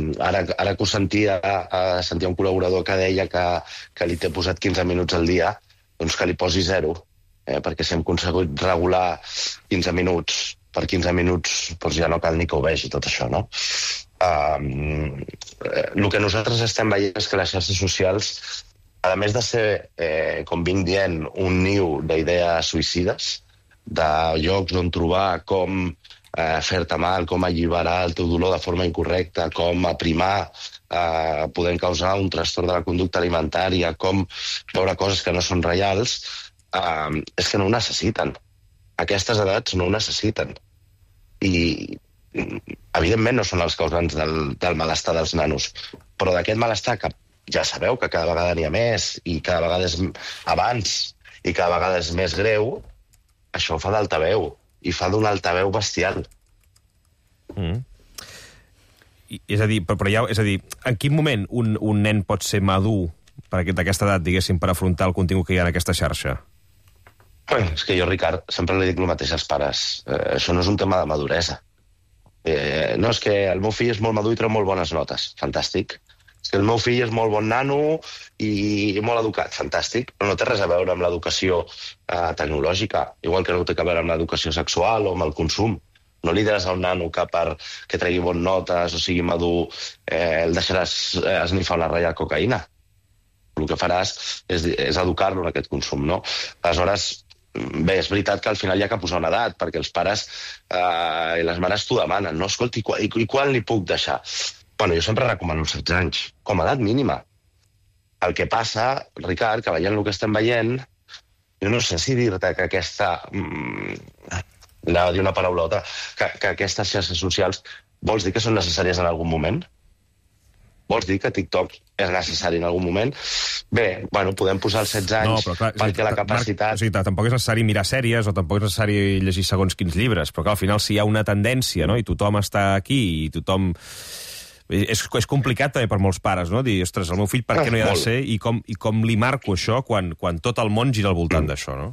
que ho sentia un col·laborador que deia que li té posat 15 minuts al dia, doncs que li posi 0, perquè si hem aconseguit regular 15 minuts per 15 minuts, doncs ja no cal ni que ho vegi, tot això, no? El que nosaltres estem veient és que les xarxes socials, a més de ser, com vinc dient, un niu d'idees suïcides, de llocs on trobar com fer-te mal, com alliberar el teu dolor de forma incorrecta, com aprimar, podent causar un trastorn de la conducta alimentària, com veure coses que no són reals, és que no ho necessiten. Aquestes edats no ho necessiten. I, evidentment, no són els causants del malestar dels nanos, però d'aquest malestar que ja sabeu que cada vegada n'hi ha més i cada vegada és abans i cada vegada és més greu, això fa d'altaveu i fa d'un altaveu bestial. És a dir, en quin moment un nen pot ser madur d'aquesta edat, diguéssim, per afrontar el contingut que hi ha en aquesta xarxa? És que jo, Ricard, sempre li dic el mateix als pares. Això no és un tema de maduresa. No, és que el meu fill és molt madur i treu molt bones notes. Fantàstic. És que el meu fill és molt bon nano i molt educat. Fantàstic. Però no té res a veure amb l'educació tecnològica, igual que no té a veure amb l'educació sexual o amb el consum. No li diràs a un nano que perquè tregui bones notes o sigui madur el deixaràs esnifar una ratlla de cocaïna. El que faràs és educar-lo en aquest consum, no? Aleshores, bé, és veritat que al final hi ha que posar una edat, perquè els pares i les mares t'ho demanen, no? Escolta, i quan li puc deixar? Bueno, jo sempre recomano 16 anys, com a edat mínima. El que passa, Ricard, que veient el que estem veient, jo no sé si dir-te que aquesta... anava a dir una paraulota, que aquestes xarxes socials vols dir que són necessàries en algun moment? Vols dir que TikTok és necessari en algun moment? Bé, bueno, podem posar els 16 anys perquè la capacitat... O sigui, tampoc és necessari mirar sèries o tampoc és necessari llegir segons quins llibres, però que al final si hi ha una tendència, no?, i tothom està aquí i tothom... És complicat també per molts pares, no?, dir, ostres, el meu fill per què no hi ha de ser i com li marco això quan tot el món gira al voltant d'això, no?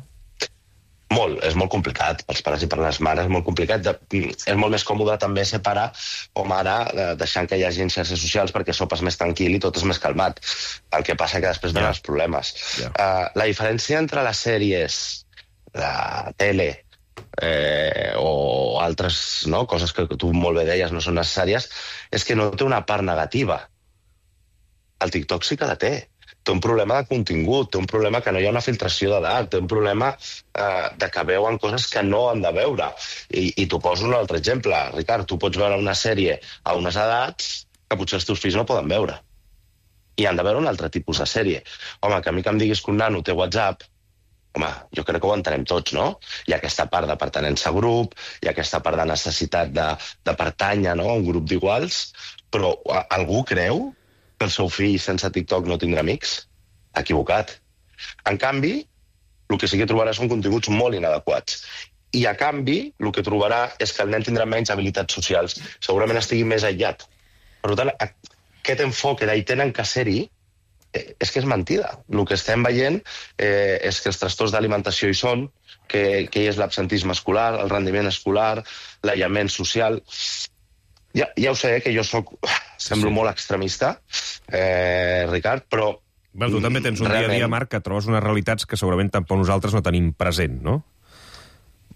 Molt, és molt complicat, pels pares i per les mares, és molt complicat. És molt més còmode també ser pare o mare deixant que hi hagi xarxes socials perquè sopes més tranquil i tot és més calmat. El que passa que després venen els problemes. La diferència entre les sèries, la tele o altres coses que tu molt bé deies no són necessàries és que no té una part negativa. El TikTok sí que la té. té un problema de contingut, té un problema que no hi ha una filtració d'edat, té un problema de que veuen coses que no han de veure. I t'ho poso un altre exemple. Ricard, tu pots veure una sèrie a unes edats que potser els teus fills no poden veure. I han de veure un altre tipus de sèrie. Home, que a mi que em diguis que un nano té WhatsApp, home, jo crec que ho entenem tots, no? Hi ha aquesta part de pertinença a grup, hi ha aquesta part de necessitat de pertànyer, no?, a un grup d'iguals, però algú creu que el seu fill sense TikTok no tindrà amics? Equivocat. En canvi, el que sí que trobarà són continguts molt inadequats. I, a canvi, el que trobarà és que el nen tindrà menys habilitats socials. Segurament estigui més aïllat. Per tant, aquest enfoc d'hi tenen que ser-hi és que és mentida. El que estem veient és que els trastorns d'alimentació hi són, que hi és l'absentisme escolar, el rendiment escolar, l'aïllament social. Ja ho sé, que jo semblo molt extremista, Ricard, però... Tu també tens un dia a dia, Marc, que trobes unes realitats que segurament tampoc nosaltres no tenim present, no?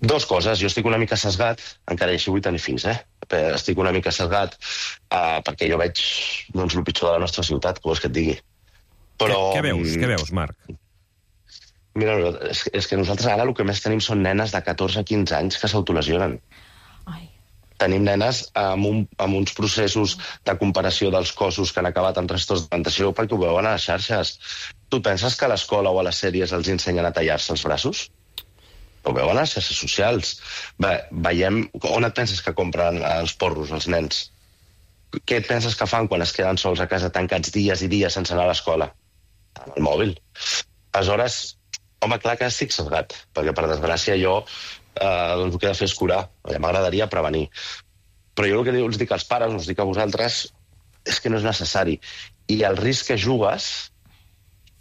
Dos coses. Jo estic una mica sesgat, encara així vull tenir fills, estic una mica sesgat perquè jo veig el pitjor de la nostra ciutat, que vols que et digui. Però... Què veus, Marc? Mira, és que nosaltres ara el que més tenim són nenes de 14-15 anys que s'autolesionen. Tenim nenes amb uns processos de comparació dels cossos que han acabat amb trastorns d'alimentació perquè ho veuen a les xarxes. Tu penses que a l'escola o a les sèries els ensenyen a tallar-se els braços? Ho veuen a les xarxes socials. Veiem... On et penses que compren els porros, els nens? Què et penses que fan quan es queden sols a casa tancats dies i dies sense anar a l'escola? Amb el mòbil. Aleshores, home, clar que estic sesgat, perquè per desgràcia jo el que he de fer és curar. M'agradaria prevenir. Però jo el que us dic als pares, us dic a vosaltres, és que no és necessari. I el risc que jugues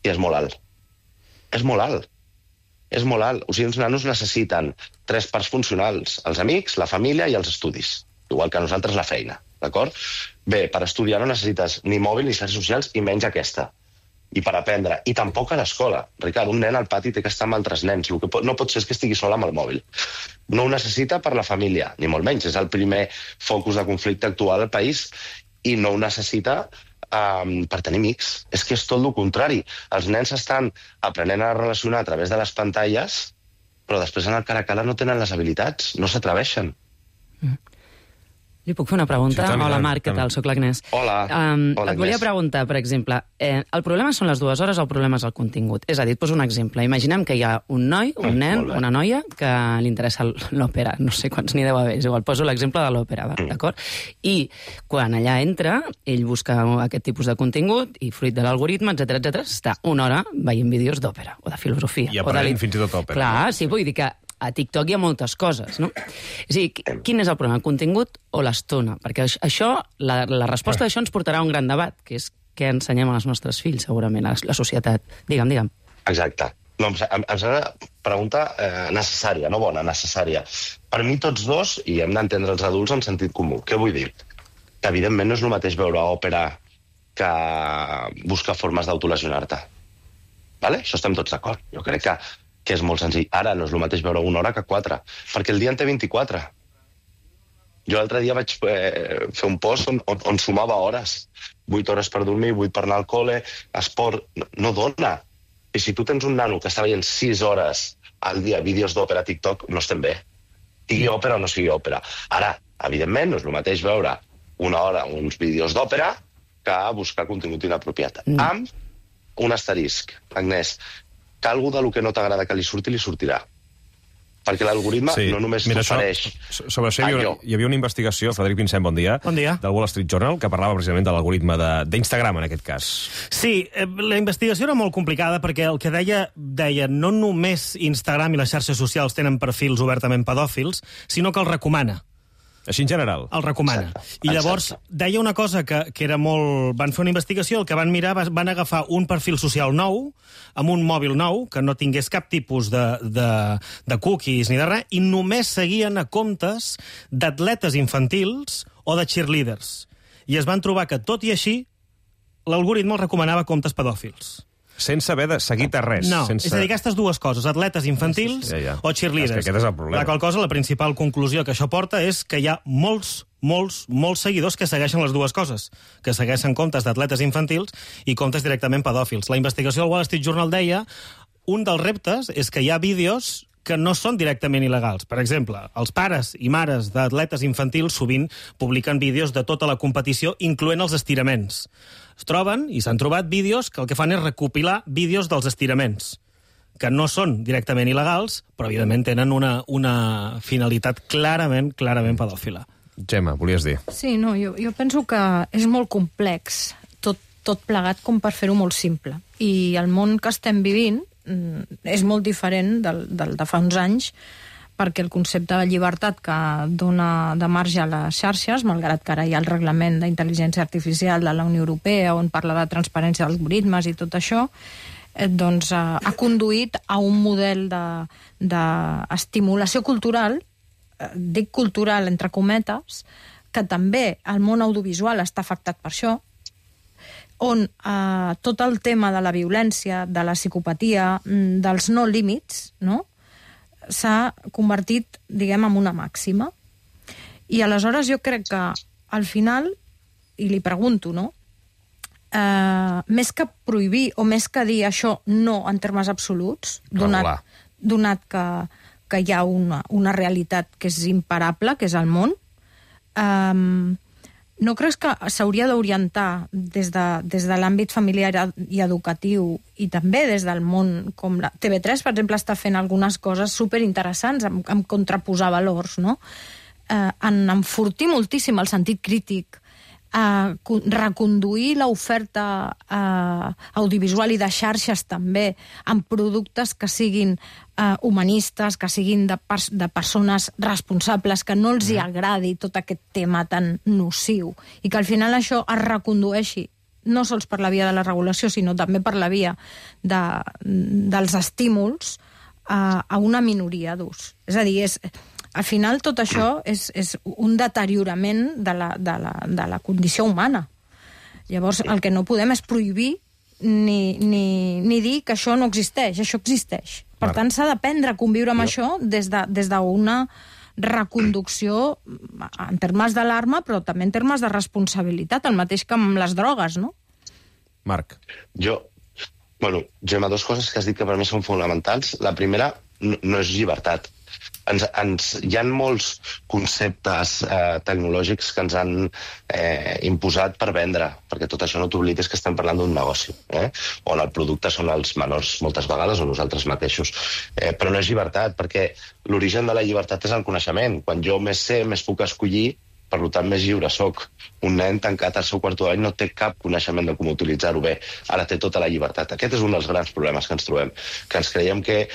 és molt alt. És molt alt. És molt alt. O sigui, els nanos necessiten 3 parts funcionals. Els amics, la família i els estudis. Igual que nosaltres la feina. D'acord? Bé, per estudiar no necessites ni mòbil ni xarxes socials i menys aquesta. I per aprendre. I tampoc a l'escola. Ricard, un nen al pati té que estar amb altres nens. El que no pot ser és que estigui sol amb el mòbil. No ho necessita per la família, ni molt menys. És el primer focus de conflicte actual al país i no ho necessita per tenir amics. És que és tot el contrari. Els nens estan aprenent a relacionar a través de les pantalles, però després en el cara a cara no tenen les habilitats, no s'atreveixen. Li puc fer una pregunta? Sí, Hola, Marc, què tal? Soc l'Agnès. Hola. Et volia preguntar, per exemple, el problema són les 2 hores o el problema és el contingut? És a dir, et poso un exemple. Imaginem que hi ha un noi, un nen, una noia, que li interessa l'òpera. No sé quants n'hi deu haver. És igual, poso l'exemple de l'òpera, d'acord? I quan allà entra, ell busca aquest tipus de contingut i, fruit de l'algoritme, etc està una hora veient vídeos d'òpera o de filosofia. I aprenent fins i tot òpera. Clar, sí, vull dir que a TikTok hi ha moltes coses, no? És a dir, quin és el problema, el contingut o l'estona? Perquè això, la resposta d'això ens portarà a un gran debat, que és què ensenyem als nostres fills, segurament, a la societat. Digue'm. Exacte. No, em sembla una pregunta necessària, no bona, necessària. Per mi tots dos, i hem d'entendre els adults en sentit comú. Què vull dir? Que evidentment no és el mateix veure òpera que buscar formes d'autolesionar-te. Vale? Això estem tots d'acord. Jo crec que és molt senzill. Ara no és el mateix veure 1 hora que 4, perquè el dia en té 24. Jo l'altre dia vaig fer un post on sumava hores. 8 hores per dormir, 8 per anar al col·le, esport... No dona. I si tu tens un nano que està veient 6 hores al dia vídeos d'òpera a TikTok, no estem bé. Sigui òpera o no sigui òpera. Ara, evidentment, no és el mateix veure 1 hora uns vídeos d'òpera que buscar contingut inapropiat. Amb un asterisc, Agnès, que algú del que no t'agrada que li sortirà. Perquè l'algoritme no només t'ofereix... Sobre això hi havia una investigació, Frederic Vincent, bon dia, del Wall Street Journal, que parlava precisament de l'algoritme d'Instagram, en aquest cas. Sí, la investigació era molt complicada perquè el que deia no només Instagram i les xarxes socials tenen perfils obertament pedòfils, sinó que els recomana. Així en general. El recomana. I llavors deia una cosa que era molt... Van fer una investigació, el que van mirar van agafar un perfil social nou, amb un mòbil nou, que no tingués cap tipus de cookies ni de res, i només seguien a comptes d'atletes infantils o de cheerleaders. I es van trobar que, tot i així, l'algoritme els recomanava comptes pedòfils. Sense haver de seguir res. No, és a dir, aquestes 2 coses, atletes infantils o cheerleaders. És que aquest és el problema. La qual cosa, la principal conclusió que això porta és que hi ha molts molts seguidors que segueixen les dues coses, que segueixen comptes d'atletes infantils i comptes directament pedòfils. La investigació del Wall Street Journal deia un dels reptes és que hi ha vídeos que no són directament il·legals. Per exemple, els pares i mares d'atletes infantils sovint publiquen vídeos de tota la competició, incloent els estiraments. Es troben, i s'han trobat, vídeos que el que fan és recopilar vídeos dels estiraments, que no són directament il·legals, però evidentment tenen una finalitat clarament pedòfila. Gemma, volies dir? Sí, no, jo penso que és molt complex, tot plegat com per fer-ho molt simple. I el món que estem vivint és molt diferent del de fa uns anys, perquè el concepte de llibertat que dona de marge a les xarxes, malgrat que ara hi ha el reglament d'intel·ligència artificial de la Unió Europea on parla de transparència d'algoritmes i tot això, doncs ha conduït a un model d'estimulació cultural, dic cultural entre cometes, que també el món audiovisual està afectat per això, on tot el tema de la violència, de la psicopatia, dels no límits, no?, s'ha convertit, diguem, en una màxima. I aleshores jo crec que, al final, i li pregunto, no?, més que prohibir o més que dir això no en termes absoluts, donat que hi ha una realitat que és imparable, que és el món, no creus que s'hauria d'orientar des de l'àmbit familiar i educatiu i també des del món, com la TV3, per exemple, està fent algunes coses superinteressants en contraposar valors, no? En enfortir moltíssim el sentit crític, reconduir l'oferta audiovisual i de xarxes també en productes que siguin humanistes, que siguin de persones responsables, que no els hi agradi tot aquest tema tan nociu i que al final això es recondueixi no sols per la via de la regulació, sinó també per la via dels estímuls a una minoria d'ús. És a dir, al final tot això és un deteriorament de la condició humana. Llavors, el que no podem és prohibir ni dir que això no existeix, això existeix. Per tant, s'ha d'aprendre a conviure amb això des d'una reconducció en termes d'alarma, però també en termes de responsabilitat, el mateix que amb les drogues, no? Marc. Gemma, dues coses que has dit que per mi són fonamentals. La primera no és llibertat. Hi ha molts conceptes tecnològics que ens han imposat per vendre, perquè tot això no t'oblides que estem parlant d'un negoci, on el producte són els menors moltes vegades o nosaltres mateixos. Però no és llibertat, perquè l'origen de la llibertat és el coneixement. Quan jo més sé, més puc escollir, per tant, més lliure soc. Un nen tancat al seu quarto d'any no té cap coneixement de com utilitzar-ho bé. Ara té tota la llibertat. Aquest és un dels grans problemes que ens trobem, que ens creiem que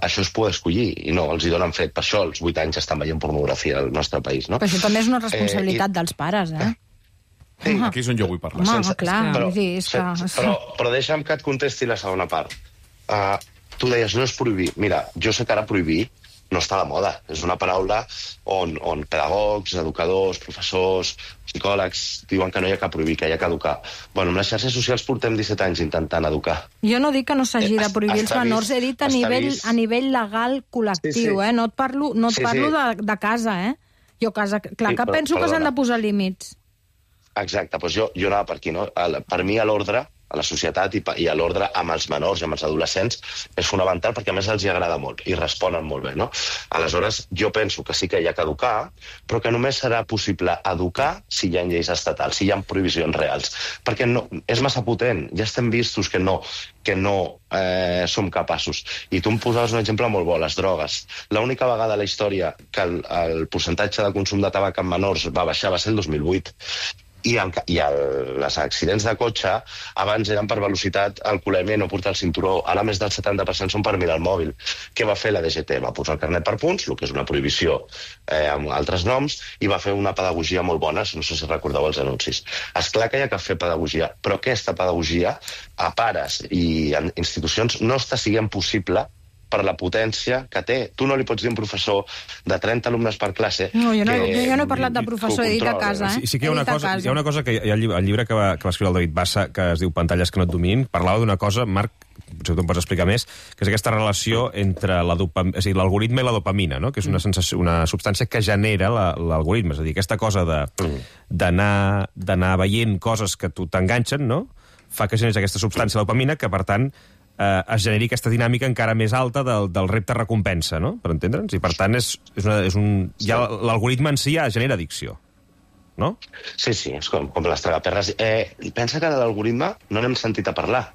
això es pot escollir, i no, els hi donen fred. Per això als 8 anys estan veient pornografia al nostre país, no? Però això també és una responsabilitat dels pares, Sí, aquí és on jo vull parlar. Home, clar, però deixa'm que et contesti la segona part. Tu deies, no és prohibir. Mira, jo sé que ara prohibir no està de moda. És una paraula on pedagogs, educadors, professors, psicòlegs diuen que no hi ha que prohibir, que hi ha que educar. Bueno, amb les xarxes socials portem 17 anys intentant educar. Jo no dic que no s'hagi de prohibir els menors, he dit a nivell legal col·lectiu, no et parlo de casa, Jo casa, clar que penso que s'han de posar límits. Exacte, doncs jo anava per aquí, no? Per mi l'ordre a la societat i a l'ordre amb els menors i amb els adolescents és fonamental perquè a més els hi agrada molt i responen molt bé, no? Aleshores, jo penso que sí que hi ha que educar, però que només serà possible educar si hi ha lleis estatals, si hi ha prohibicions reals. Perquè és massa potent, ja estem vistos que no som capaços. I tu em posaves un exemple molt bo, les drogues. L'única vegada a la història que el percentatge de consum de tabac en menors va baixar va ser el 2008. I els accidents de cotxe abans eren per velocitat, alcoholèmia i no portar el cinturó. Ara més del 70% són per mirar el mòbil. Què va fer la DGT? Va posar el carnet per punts, el que és una prohibició amb altres noms, i va fer una pedagogia molt bona, no sé si recordeu els anuncis. Esclar que hi ha que fer pedagogia, però aquesta pedagogia a pares i a institucions no està sent possible per la potència que té. Tu no li pots dir a un professor de 30 alumnes per classe... No, jo no he parlat de professor, he dit a casa, Sí que hi ha una cosa que hi ha el llibre que va escriure el David Bassa, que es diu Pantalles que no et dominin, parlava d'una cosa, Marc, potser tu em pots explicar més, que és aquesta relació entre l'algoritme i la dopamina, no? Que és una substància que genera l'algoritme. És a dir, aquesta cosa d'anar veient coses que tu t'enganxen, no? Fa que generis aquesta substància, la dopamina, que, per tant, es generi aquesta dinàmica encara més alta del repte-recompensa, no? Per entendre'ns? I, per tant, l'algoritme en si ja genera addicció, no? Sí, és com les tragaperres. Pensa que de l'algoritme no n'hem sentit a parlar.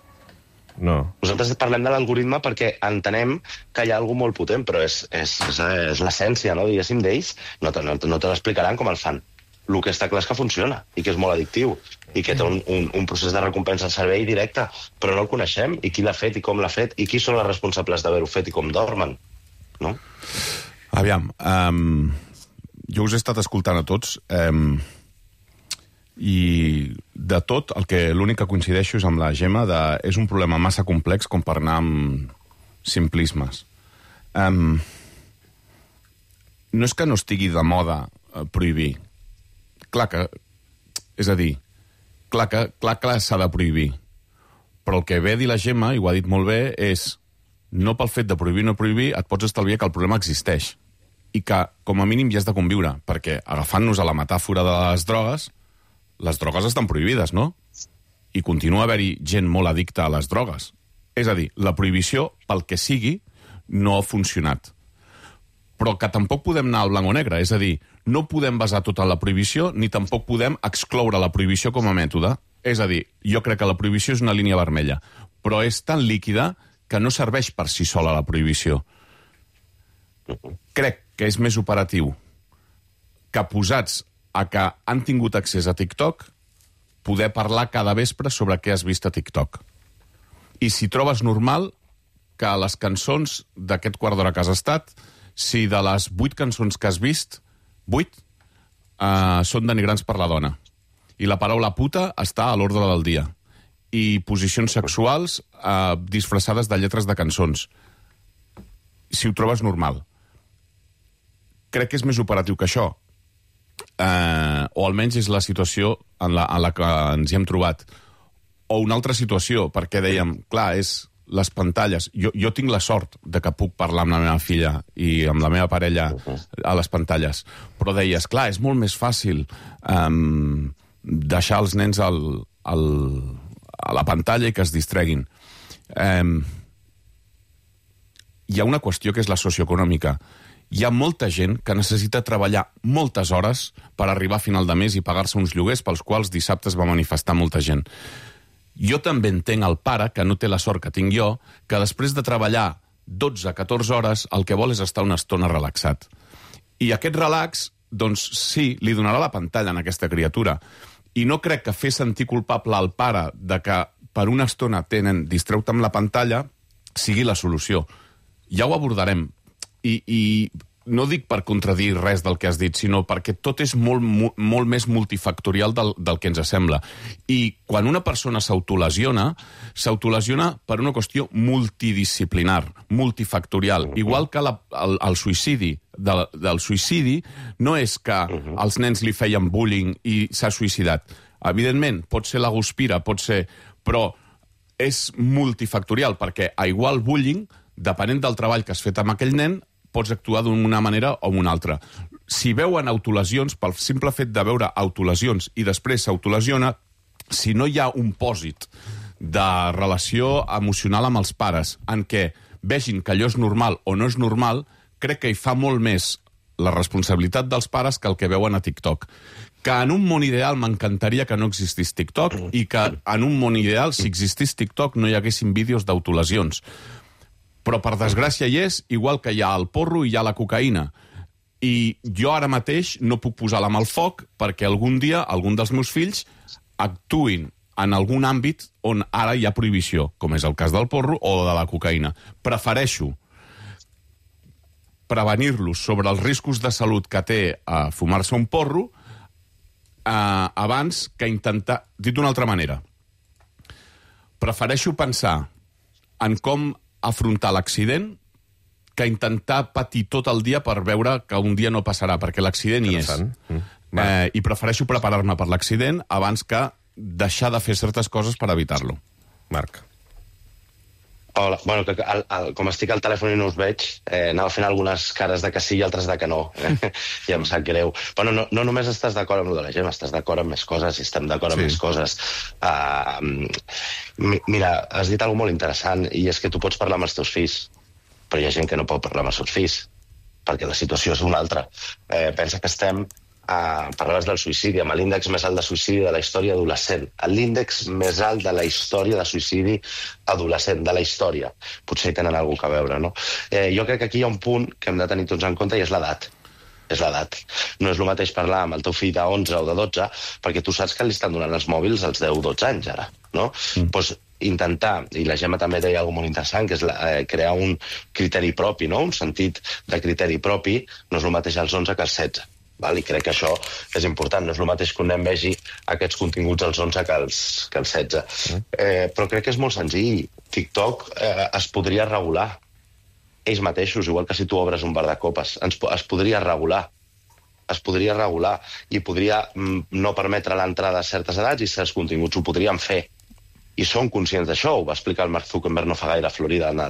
No. Nosaltres parlem de l'algoritme perquè entenem que hi ha alguna molt potent, però és l'essència, no? Diguéssim, d'ells. No te l'explicaran com el fan. El que està clar és que funciona i que és molt addictiu i que té un procés de recompensa al servei directe, però no el coneixem, i qui l'ha fet i com l'ha fet, i qui són els responsables d'haver-ho fet i com dormen, no? Aviam, jo us he estat escoltant a tots, i de tot, l'únic que coincideixo és amb la Gemma, és un problema massa complex com per anar amb simplismes. No és que no estigui de moda prohibir. Clar que s'ha de prohibir. Però el que ve a dir la Gemma, i ho ha dit molt bé, és no pel fet de prohibir o no prohibir et pots estalviar que el problema existeix. I que, com a mínim, hi has de conviure. Perquè, agafant-nos a la metàfora de les drogues estan prohibides, no? I continua a haver-hi gent molt addicta a les drogues. És a dir, la prohibició, pel que sigui, no ha funcionat. Però que tampoc podem anar al blanc o negre. És a dir, no podem basar tota la prohibició, ni tampoc podem excloure la prohibició com a mètode. És a dir, jo crec que la prohibició és una línia vermella, però és tan líquida que no serveix per si sola la prohibició. Crec que és més operatiu que, posats a que han tingut accés a TikTok, poder parlar cada vespre sobre què has vist a TikTok. I si trobes normal que les cançons d'aquest quart d'hora que has estat, si de les 8 cançons que has vist, 8 són denigrants per la dona. I la paraula puta està a l'ordre del dia. I posicions sexuals disfressades de lletres de cançons. Si ho trobes normal. Crec que és més operatiu que això. O almenys és la situació en la que ens hi hem trobat. O una altra situació, perquè dèiem, clar, és les pantalles. Jo tinc la sort de que puc parlar amb la meva filla i amb la meva parella a les pantalles. Però deies, clar, és molt més fàcil deixar els nens a la pantalla i que es distreguin. Hi ha una qüestió que és la socioeconòmica. Hi ha molta gent que necessita treballar moltes hores per arribar a final de mes i pagar-se uns lloguers pels quals dissabte es va manifestar molta gent. Jo també entenc el pare, que no té la sort que tinc jo, que després de treballar 12-14 hores el que vol és estar una estona relaxat. I aquest relax, doncs sí, li donarà la pantalla a aquesta criatura. I no crec que fer sentir culpable al pare de que per una estona tenen distreure amb la pantalla sigui la solució. Ja ho abordarem. I no dic per contradir res del que has dit, sinó perquè tot és molt més multifactorial del que ens sembla. I quan una persona s'autolesiona per una qüestió multidisciplinar, multifactorial. Igual que el suïcidi. Del suïcidi no és que els nens li feien bullying i s'ha suïcidat. Evidentment, pot ser la guspira, però és multifactorial, perquè a igual bullying, depenent del treball que has fet amb aquell nen, pots actuar d'una manera o d'una altra. Si veuen autolesions, pel simple fet de veure autolesions i després s'autolesiona, si no hi ha un pòsit de relació emocional amb els pares en què vegin que allò és normal o no és normal, crec que hi fa molt més la responsabilitat dels pares que el que veuen a TikTok. Que en un món ideal m'encantaria que no existís TikTok i que en un món ideal, si existís TikTok, no hi haguessin vídeos d'autolesions. Però, per desgràcia, hi és, igual que hi ha el porro i hi ha la cocaïna. I jo ara mateix no puc posar la mà al foc perquè algun dia algun dels meus fills actuïn en algun àmbit on ara hi ha prohibició, com és el cas del porro o de la cocaïna. Prefereixo prevenir-los sobre els riscos de salut que té a fumar-se un porro abans que intentar... Dit d'una altra manera, prefereixo pensar en com afrontar l'accident que intentar patir tot el dia per veure que un dia no passarà, perquè l'accident hi és. I prefereixo preparar-me per l'accident abans que deixar de fer certes coses per evitar-lo. Marc. Hola. Bueno, com estic al telèfon i no us veig, anava fent algunes cares de que sí i altres de que no. I em sap greu. Bueno, no només estàs d'acord amb el de la Gemma, estàs d'acord amb més coses i estem d'acord amb més coses. Mira, has dit alguna molt interessant, i és que tu pots parlar amb els teus fills, però hi ha gent que no pot parlar amb els seus fills, perquè la situació és una altra. Pensa que estem... parlaves del suïcidi, amb l'índex més alt de suïcidi de la història adolescent. L'índex més alt de la història de suïcidi adolescent, de la història. Potser hi tenen alguna cosa a veure, no? Jo crec que aquí hi ha un punt que hem de tenir tots en compte, i és l'edat. És l'edat. No és el mateix parlar amb el teu fill de 11 o de 12, perquè tu saps que li estan donant els mòbils als 10-12 anys, ara, no? Doncs intentar, i la Gemma també deia alguna molt interessant, que és crear un criteri propi, no? Un sentit de criteri propi no és el mateix als 11 que als 16. I crec que això és important. No és el mateix que un nen vegi aquests continguts als 11 que als 16. Però crec que és molt senzill. TikTok es podria regular ells mateixos, igual que si tu obres un bar de copes. Es podria regular. Es podria regular i podria no permetre l'entrada a certes edats, i certs continguts ho podrien fer. I són conscients d'això. Ho va explicar el Mark Zuckerberg no fa gaire a Florida en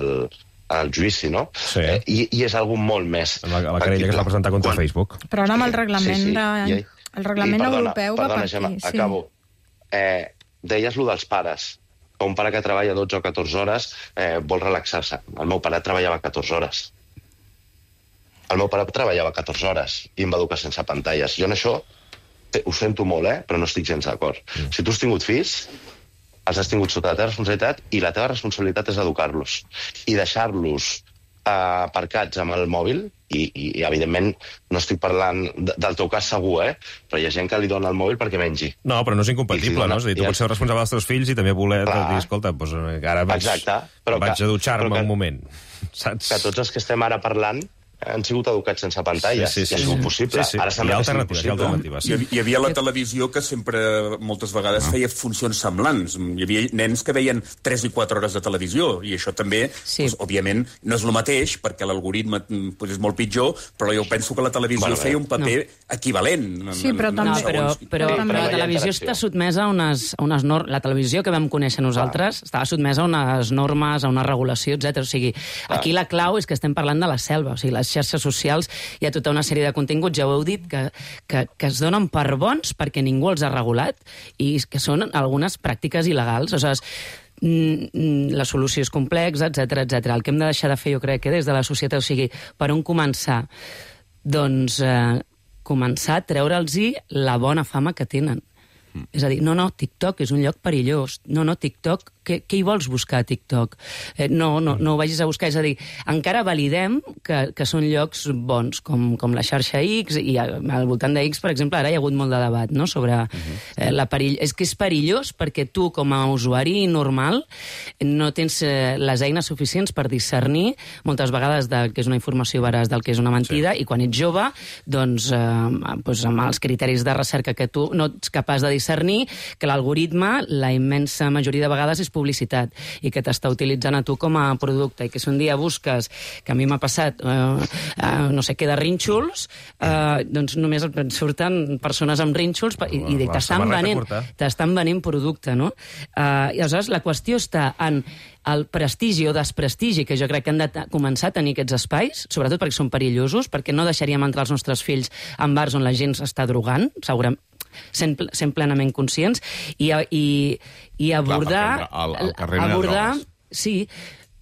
el judici, no? Sí. I és algú molt més... La querella que es va presentar contra Facebook. Però ara amb el reglament el reglament europeu va per aquí. Acabo. Deies lo dels pares. Un pare que treballa 12 o 14 hores vol relaxar-se. El meu pare treballava 14 hores. El meu pare treballava 14 hores i em va educar sense pantalles. Jo en això ho sento molt, però no estic gens d'acord. Si tu has tingut fills, els has tingut sota la teva responsabilitat, i la teva responsabilitat és educar-los. I deixar-los aparcats amb el mòbil, i evidentment no estic parlant del teu cas segur, però hi ha gent que li dona el mòbil perquè mengi. No, però no és incompatible, no? És a dir, tu pots ser responsable dels teus fills i també voler dir, escolta, doncs ara vaig a dutxar-me un moment. Que tots els que estem ara parlant han sigut educats sense pantalles, i ha sigut possible. Ara sembla que sigui impossible. Hi havia la televisió que sempre, moltes vegades, feia funcions semblants. Hi havia nens que veien 3 i 4 hores de televisió, i això també, òbviament, no és el mateix, perquè l'algoritme és molt pitjor, però jo penso que la televisió feia un paper equivalent. Sí, però la televisió està sotmesa a unes normes. La televisió que vam conèixer nosaltres estava sotmesa a unes normes, a una regulació, etc. O sigui, aquí la clau és que estem parlant de la selva. O sigui, les xarxes socials hi ha tota una sèrie de continguts, ja ho heu dit, que es donen per bons perquè ningú els ha regulat, i que són algunes pràctiques il·legals. O sigui, la solució és complexa, etc. El que hem de deixar de fer, jo crec, que des de la societat, o sigui, per on començar? Doncs començar a treure'ls-hi la bona fama que tenen. És a dir, no, TikTok és un lloc perillós. No, TikTok, què hi vols buscar a TikTok? No ho vagis a buscar. És a dir, encara validem que són llocs bons, com la xarxa X, i al voltant de X, per exemple, ara hi ha hagut molt de debat, no?, sobre la perill... És que és perillós perquè tu, com a usuari normal, no tens les eines suficients per discernir moltes vegades del que és una informació veraç del que és una mentida, i quan ets jove, doncs, amb els criteris de recerca que tu no ets capaç de discernir, que l'algoritme, la immensa majoria de vegades, és publicitat, i que t'està utilitzant a tu com a producte, i que si un dia busques, que a mi m'ha passat, no sé què, de rínxols, doncs només et surten persones amb rínxols i t'estan venent producte, no? I aleshores la qüestió està en el prestigi o desprestigi que jo crec que han de començar a tenir aquests espais, sobretot perquè són perillosos, perquè no deixaríem entrar els nostres fills en bars on la gent s'està drogant, segurament, sent plenament conscients, i abordar...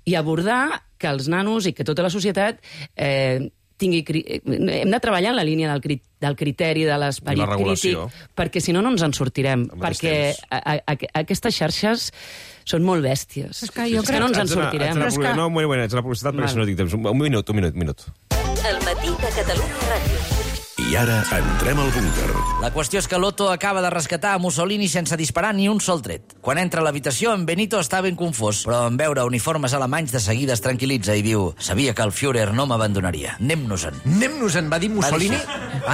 I abordar que els nanos i que tota la societat hem de treballar en la línia del criteri, de l'esperit crític, perquè si no ens en sortirem, perquè aquestes xarxes són molt bèsties. És que no ens en sortirem. No, ets una publicitat perquè si no tinc temps. Un minut. El matí de Catalunya Ràdio. I ara entrem al búnquer. La qüestió és que l'Otto acaba de rescatar a Mussolini sense disparar ni un sol tret. Quan entra a l'habitació, en Benito està ben confós, però en veure uniformes alemanys de seguida es tranquil·litza i diu: sabia que el Führer no m'abandonaria. Anem-nos-en. Anem-nos-en, va dir Mussolini?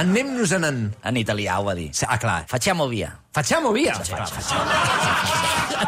Anem-nos-en. En italià ho va dir. Ah, clar. Facciamo via. Facciamo via? Facciamo.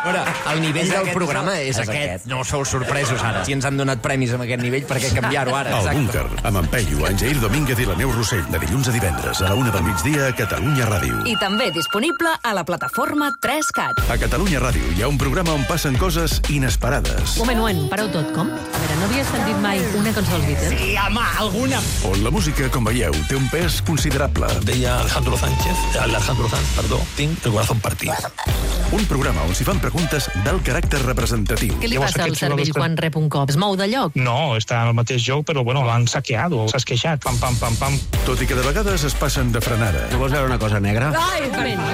Veure, el nivell del programa és aquest. No sou sorpresos ara. Si ens han donat premis amb aquest nivell, per què canviar-ho ara? El Búnquer, amb en Peyu, en Jair Domínguez i la Neus Rossell, de dilluns a divendres a la 1 del migdia a Catalunya Ràdio. I també disponible a la plataforma 3CAT. A Catalunya Ràdio hi ha un programa on passen coses inesperades. Un, pareu tot, com? A veure, no havies sentit mai una cançó dels Beatles? Sí, home, alguna. On la música, com veieu, té un pes considerable. Deia Alejandro Sanz, tinc el corazón partido. Un programa on s'hi fan preguntes d'alt caràcter representatiu. Què li passa al cervell quan rep un cop? Es mou de lloc? No, està en el mateix lloc, però bueno, l'han saqueado, s'ha esqueixat, pam, pam, pam, pam. Tot i que de vegades es passen de frenada. No vols veure una cosa negra? Ai,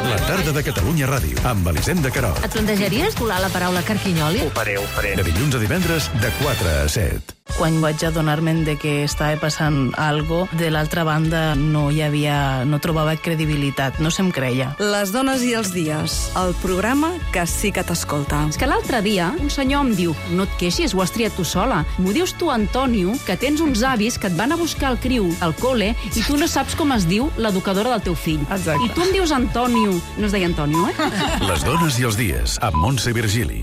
La tarda de Catalunya Ràdio, amb Elisenda Querol. Et plantejaries colar la paraula carquinyoli? Ho faré. De dilluns a divendres, de 4 a 7. Quan vaig adonar-me de que estava passant algo, de l'altra banda no trobava credibilitat, no se'm creia. Les dones i els dies, el programa que sí que t'escolta. És que l'altre dia un senyor em diu: no et queixis, ho has triat tu sola. M'ho dius tu, Antonio, que tens uns avis que et van a buscar el criu al col·le i tu no saps com es diu l'educadora del teu fill. Exacte. I tu em dius Antonio. No es deia Antonio, eh? Les dones i els dies, amb Montse Virgili.